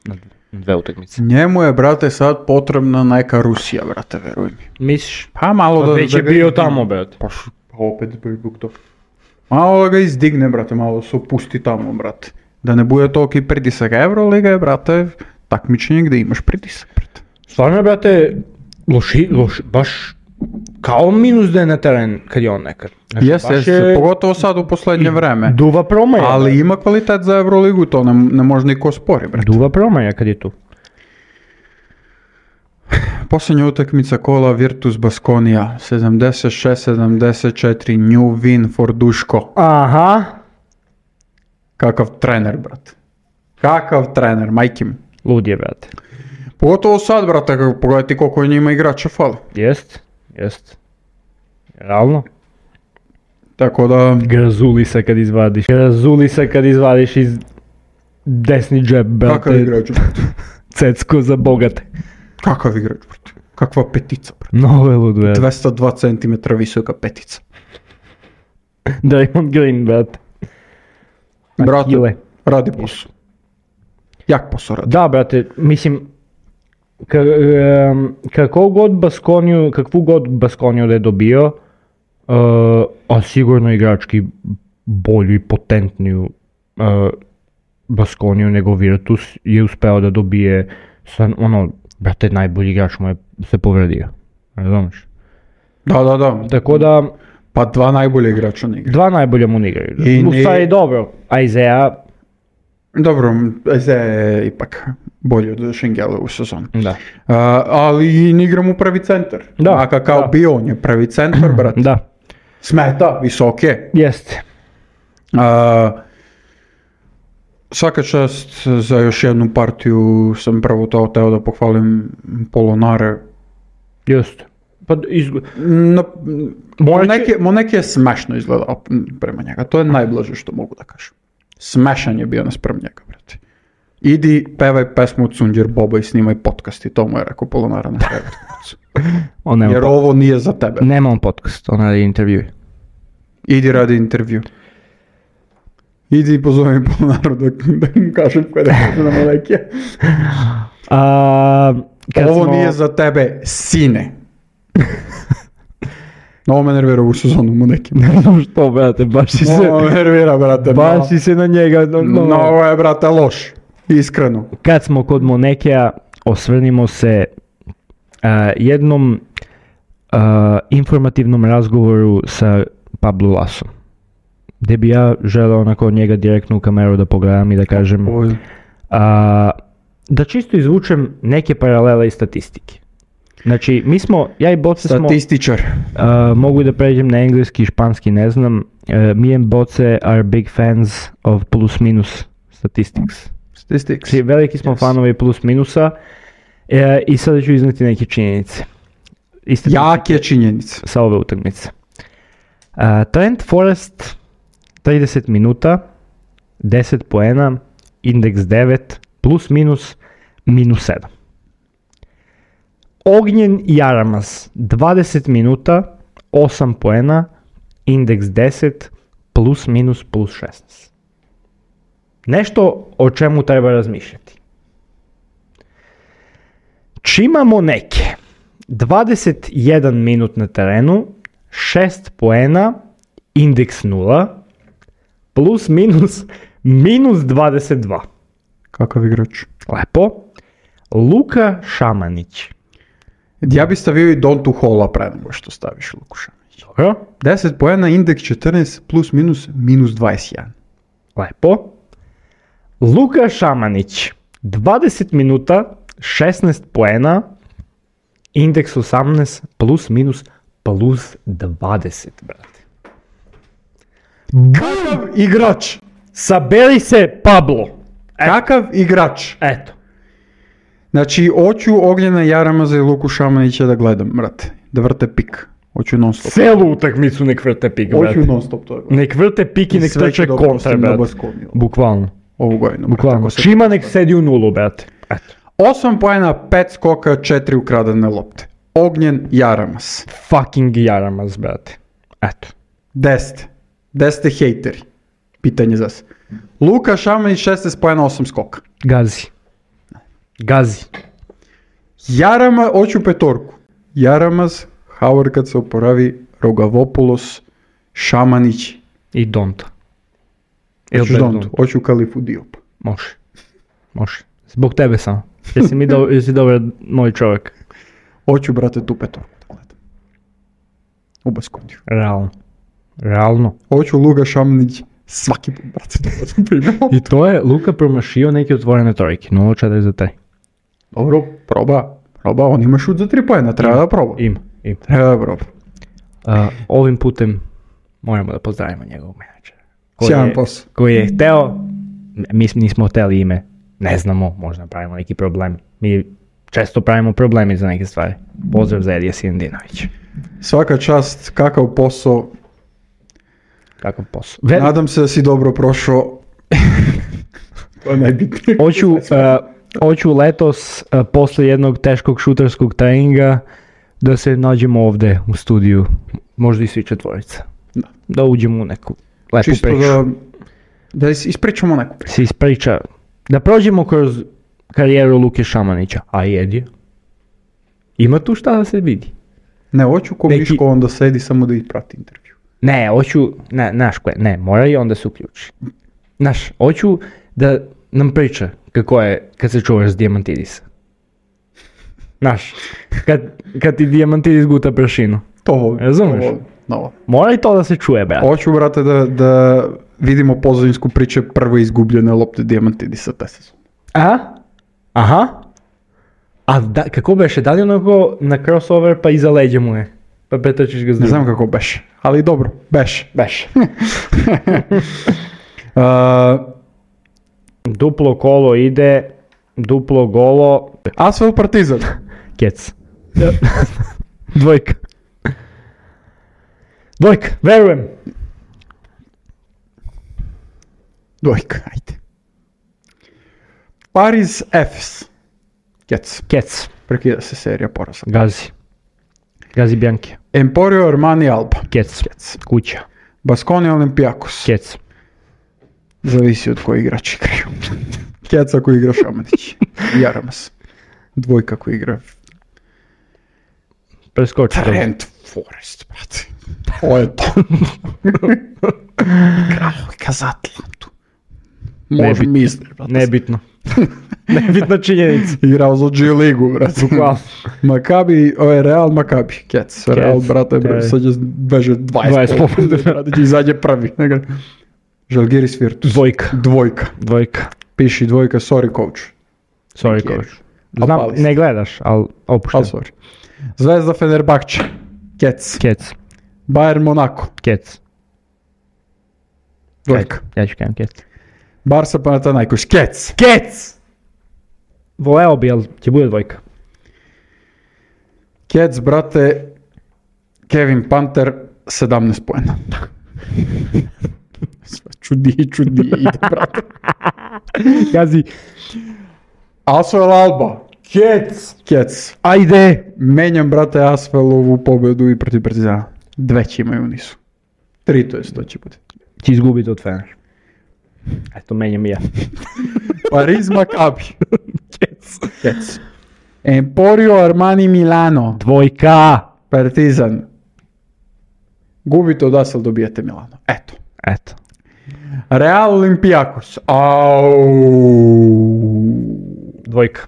Na 2 utakmice. Njemu je, brate, sad potrebna neka Rusija, brate, veruj mi. Misliš? Pa malo Pa već je bio tamo, brate. Pa opet zbog to. Malo da ga izdigne, brate, malo se opusti tamo, brate. Da ne bude toliki pritisak. Euroliga je, brate, takmičenje gdje imaš pritisak, brate. Stvarno je, brate, loš, baš kao minus da je na teren kad je on nekad. Znači, Jeste, pogotovo sad u posljednje vreme. Duva promaja. Ali ima kvalitet za Euroligu, to ne može niko spori, brate. Duva promaja kad je tu. Posljednja utakmica kola Virtus Baskonia, 76-74, new win for Duško. Aha. Kakav trener, brate. Kakav trener, majke mi. Lud je, brate. Pogotovo sad, brate, pogledajte koliko je njima igrača fali. Jest. Realno. Tako da... Grazulisa kad izvadiš iz desni džep, brate. Kakav igrač, brate? Cecko za bogate. Kakav igrač, brate? Kakva petica, brate? Nove lud, brate. 202 cm visoka petica. Draymond Green, brate. Brate, Radi posao. Jak posao radi. Da, brate, mislim, kakvu god Baskoniju da je dobio, a sigurno igrački bolju i potentniju Baskoniju nego Virtus je uspeo da dobije, brate, najbolji igrač mu je se povredio, razumiješ? Da. Tako da... Pa dva najbolje igrača ne igra. Dva najbolja mu ne igraju. U stvari dobro, Isaiah... Dobro, Isaiah je ipak bolji od Šengela u sezonu. Da. Ali ne igra mu pravi centar. Da. A kao bio on je pravi centar, brate. Da. Smeta, visoke. Jeste. Svaka čast za još jednu partiju, sam prvo to teo da pohvalim Polonare. Jeste. Pa Moneke je smešno izgledao prema njega, to je najblaže što mogu da kažem. Smešan je bio naspram njega, brate. Idi, pevaj pesmu od Sunđer Boba i snimaj podcast i to mu je rekao Polonara na kraju. Jer ovo nije za tebe. Nema on podcast, on radi intervju. Idi radi intervju. Idi i pozove mi Polonaru da mu kažem koje da kaže na Moneke. Ovo nije za tebe, sine. Ovo me nervira u sezonu Moneke. Ne znam što, brate, baš si se... Ovo me nervira, brate. Baš si se na njega... Ovo je, brate, loš. Iskreno. Kad smo kod Monekea, osvrnimo se jednom informativnom razgovoru sa Pablo Lasom. Gdje bi ja želeo onako od njega direktno u kameru da pogledam i da kažem... da čisto izvučem neke paralele i statistike. Znači, mi smo, ja i Boce smo... Statističar. Mogu da pređem na engleski i španski, ne znam. Me and Boce are big fans of plus minus statistics. Znači, veliki smo fanovi plus minusa i sada ću izneti neke činjenice. Jake činjenice. Sa ove utakmice. Trent Forrest, 30 minuta, 10 poena, indeks 9, plus minus, minus 7. Ognjen Jaramaz, 20 minuta, 8 poena, indeks 10, plus minus, plus 16. Nešto o čemu treba razmišljati. Čima Moneke, 21 minut na terenu, 6 poena, indeks 0, plus minus, minus 22. Kakav igrač? Lepo. Luka Šamanić. Ja bi stavio i Dontu Hola pre nego što staviš Luku Šamanić. Dobro. 10 poena, indeks 14, plus minus, minus 21. Lepo. Luka Šamanić, 20 minuta, 16 poena, indeks 18, plus minus, plus 20, brate. Kakav igrač? Saberi se, Pablo. Kakav igrač? Eto. Znači, hoću Ognjena Jaramaza i Luku Šamanića da gledam, brate. Da vrte pik. Hoću non stop. Celu utakmicu nek vrte pik, brate. Hoću non stop to. Brate. Nek vrte pik i nek trče kontra, brate. Bukvalno. Ovu godinu. Bukvalno. Čima nek sedi u nulu, brate. Eto. 8 poena, 5 skoka, 4 ukradene lopte. Ognjen Jaramaz. Fucking Jaramaz, brate. Eto. 10 ste hejteri. Pitanje za se. Luka Šamanić, 16 poena, 8 skoka. Gazi. Jaramaz, hoću petorku. Jaramaz, Howard kad se oporavi, Rogavopoulos, Šamanić. I Donta. Hoću Dontu, hoću Kalifu Diop. Može. Zbog tebe samo. Jesi dobar moj čovjek. Hoću, brate, tu petorku da gledam. U Baskoniju. Realno. Hoću Luka Šamanić svaki put, brate, da sam primio. I to je Luka promašio neke otvorene trojke. 0-4 za 3. Dobro, proba, on ima šut za 3 poena, treba da proba. Ima. Treba da proba. Ovim putem moramo da pozdravimo njegovog menadžera. Sjajan posao. Koji je hteo, mi nismo hteli ime, ne znamo, možda pravimo neki problem. Mi često pravimo problemi za neke stvari. Pozdrav za Edija Sinadinovića. Svaka čast, kakav posao. Nadam se da si dobro prošao. To je najbitnije. Hoću letos, posle jednog teškog šuterskog treninga, da se nađemo ovde u studiju, možda i svi četvorica. Da uđemo u neku lepu priču. Čisto Da ispričamo neku priču. Se ispriča. Da prođemo kroz karijeru Luke Šamanića. A jedi? Ima tu šta da se vidi? Ne, hoću ko Neki- Miško onda sedi samo da ih prati intervju. Ne, hoću, znaš koje, ne, mora i onda se uključi. Znaš, hoću da nam priča kako je kad se čuvaš s dijamantidisa. Znaš, kad ti dijamantidis guta prašinu. To volim. Razumeš? To volim. No. Mora i to da se čuje, brate. Hoću, brate, da vidimo pozadinsku priče prve izgubljene lopte Dijamantidisa te sezone. Aha. A kako beše, da li onako na crossover pa iza leđa mu je? Pa pretrčiš ga s Ne drugim. znam kako beše, ali dobro, beše. Beše. Uh, Duplo kolo ide, duplo golo, Asvel Partizan. kec. Dvojka. Dvojka, verujem. Dvojka, ajde. Paris Efes. Kec. Kec. Prekida se serija poraza. Gazi. Gazi Bianchi. Emporio Armani Alba. Kec. Kec. Kuća. Baskonia Olympiakos. Kec. Zavisi od koji igrač igraju. Kec ako igra Šamanić. Jaramas. Dvojka ako igra Preskoči to. Trent Forest, brate. To je to. Grafika za Atlantu. Može Nebitno. misliš, brate. Nebitno. Nebitna činjenica. Igrao za G ligu, brate. Bukvalno. Makabi, Real Makabi, Kec. Real, brate, sad će beže 20 20%. brate, će izađe prvi. Žalgiris Virtus. Dvojka. Dvojka. Piši dvojka, sorry coach. Sorry, Neki je. coach. Znam, Opali se. ne gledaš, ali opušten. Al sorry. Zvezda Fenerbahče. Kec. Kec. Bayern Monaco. Kec. Dvojka. Ja ću kajem kec. Barca Panathinaikos. Kec. Kec! Voleo bi, ali će bude dvojka. Kec, brate. Kevin Panter, 17 poena. Sve čudi, ide, brate. Gazi. Asvel Alba. Kec! Kec. Ajde! Menjam, brate, Asvelovu pobedu i protiv Partizana. Dve će imaju u nisu. 3, to je to će bude. Će izgubiti od Fener. Eto, menjam i ja. Pariz Maccabi. Kec. Kec. Emporio Armani Milano. Dvojka! Partizan. Gubite od Asvel, dobijete Milano. Eto. Eto. Real Olympiakos. Au. Dvojka.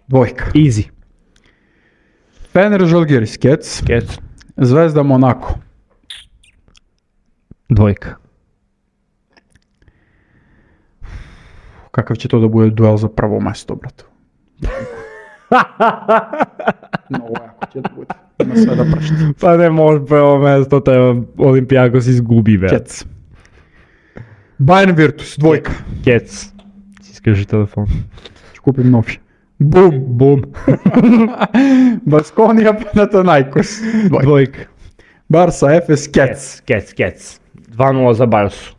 Dvojka. Easy. Fener Žalgiris. Kec. Kec. Zvezda Monako. Dvojka. Kakav će to da bude duel za prvo mesto, brate? No, jako će da bude. Ima sve da prašti. Pa ne može prvo mesto, treba Olympiakos izgubi, ve. Kec. Bayern Virtus. Dvojka. Kec. Iskaži telefon. Ću kupim novi. Bum. Bum. Baskonia Panathinaikos. Dvojka. Dvojka. Barca Efes. Kec. Kec. 2-0 za Barsu.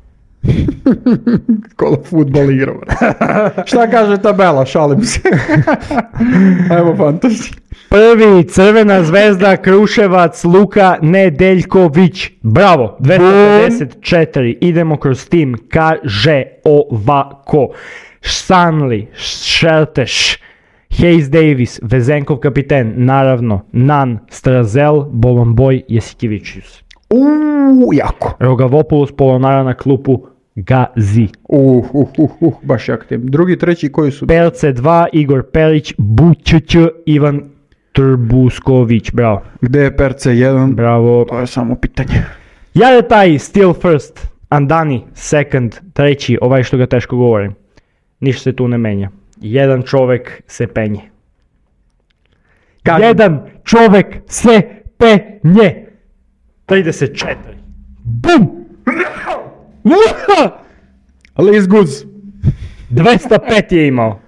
Ko da futbol igra, brate. Šta kaže tabela? Šalim se. Evo fantasy. Prvi, Crvena zvezda, Kruševac, Luka Nedeljković. Bravo, 254. Idemo kroz tim. Kaže ovako. Stanley, Šerteš, Hayes Davis, Vezenkov kapiten, naravno, Nan, Strazel, Bolomboj, Jesikivičius. Jako. Rogavopoulos, Polonara na klupu, Gazi. Baš jak tim. Drugi, treći, koji su? Perce 2, Igor Perić, Bućć, Ivan Trbusković. Bravo. Gde je Perce 1? Bravo. To je samo pitanje. Jaretaj, still first. Andani, second. Treći, ovaj što ga teško govorim. Ništa se tu ne menja. Jedan čovek se penje. Kažem. Jedan čovek se penje. 34. Bum! Liz Goods. 205 je imao.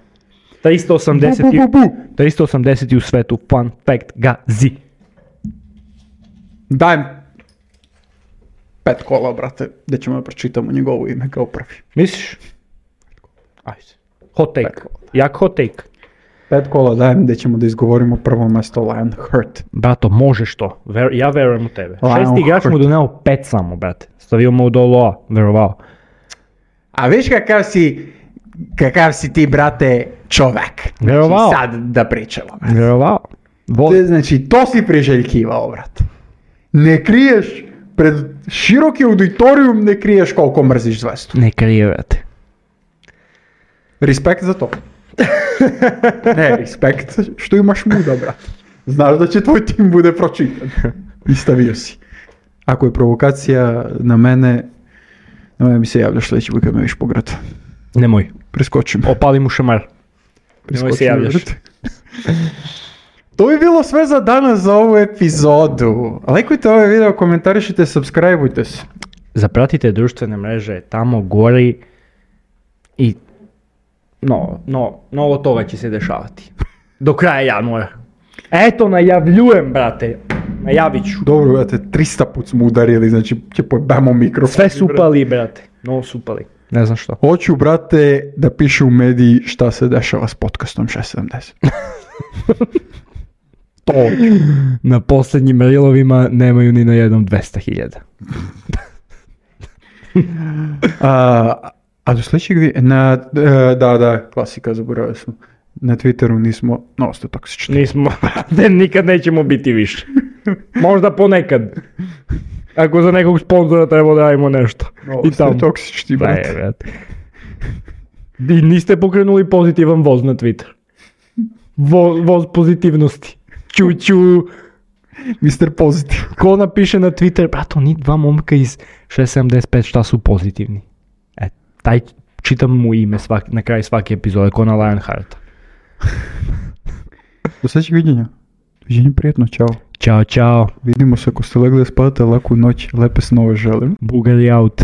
380 Bu. 380 u svetu. Fun fact, Gazi. Dajem 5 kola, brate, gdje ćemo da pročitamo njegovo ime kao prvi. Misliš? Ajde. Hot take. Jak hot take. 5 kola dajem gdje ćemo da izgovorimo prvo mesto Lionheart. Brato, možeš to. Ja verujem u tebe. Lionheart. 6 igrač mu doneo 5 samo, brate. Stavio mu do loa, verovao. A viš kakav si ti, brate, čovek. Vjerovao. Sad da pričamo. brate. Vjerovao. Znači, to si priželjkivao, brate. Ne kriješ, pred široki auditorijum ne kriješ koliko mrziš zvezdu. Ne krivate. Respekt za to. Ne, respekt što imaš muda, brate. Znaš da će tvoj tim bude pročitan. I stavio si. Ako je provokacija na mene mi se javljaš sljedeći put kad me viš pograd. Nemoj. Preskočim. Opali mu šamar. Nemoj se javljaš. To bi bilo sve za danas za ovu epizodu. Lajkujte ovaj video, komentarišite, subscribeujte se. Zapratite društvene mreže, tamo gori i mnogo toga će se dešavati. Do kraja januara. Eto, najavljujem, brate. Najavit ću. Dobro, brate, 300 put smo udarili, znači će pojebamo mikrofon. Sve su upali, brate. No su upali. Ne znam što. Hoću, brate, da piše u mediji šta se dešava s podcastom 670. To hoću. Na posljednjim reelovima nemaju ni na jednom 200.000. A do sljedećeg da, klasika, zaboravio sam. Na Twitteru nismo dosta toksični. Nismo, nikad nećemo biti više. Možda ponekad. Ako za nekog sponzora treba da radimo nešto. I tamo toksični, brate. I niste pokrenuli pozitivan voz na Twitter. Voz pozitivnosti. Ču. Mr. Pozitiv. Ko napiše na Twitter, brato, ni dva momka iz 675 šta su pozitivni. Taj čitam mu ime na kraju svake epizode, ko na Lionhearta. Do sljedećeg viđenja. Viđenje prijetno, čao. Ćao. Vidimo se ako ste legli da spavate, laku noć, lepe snove želim. Bugari out.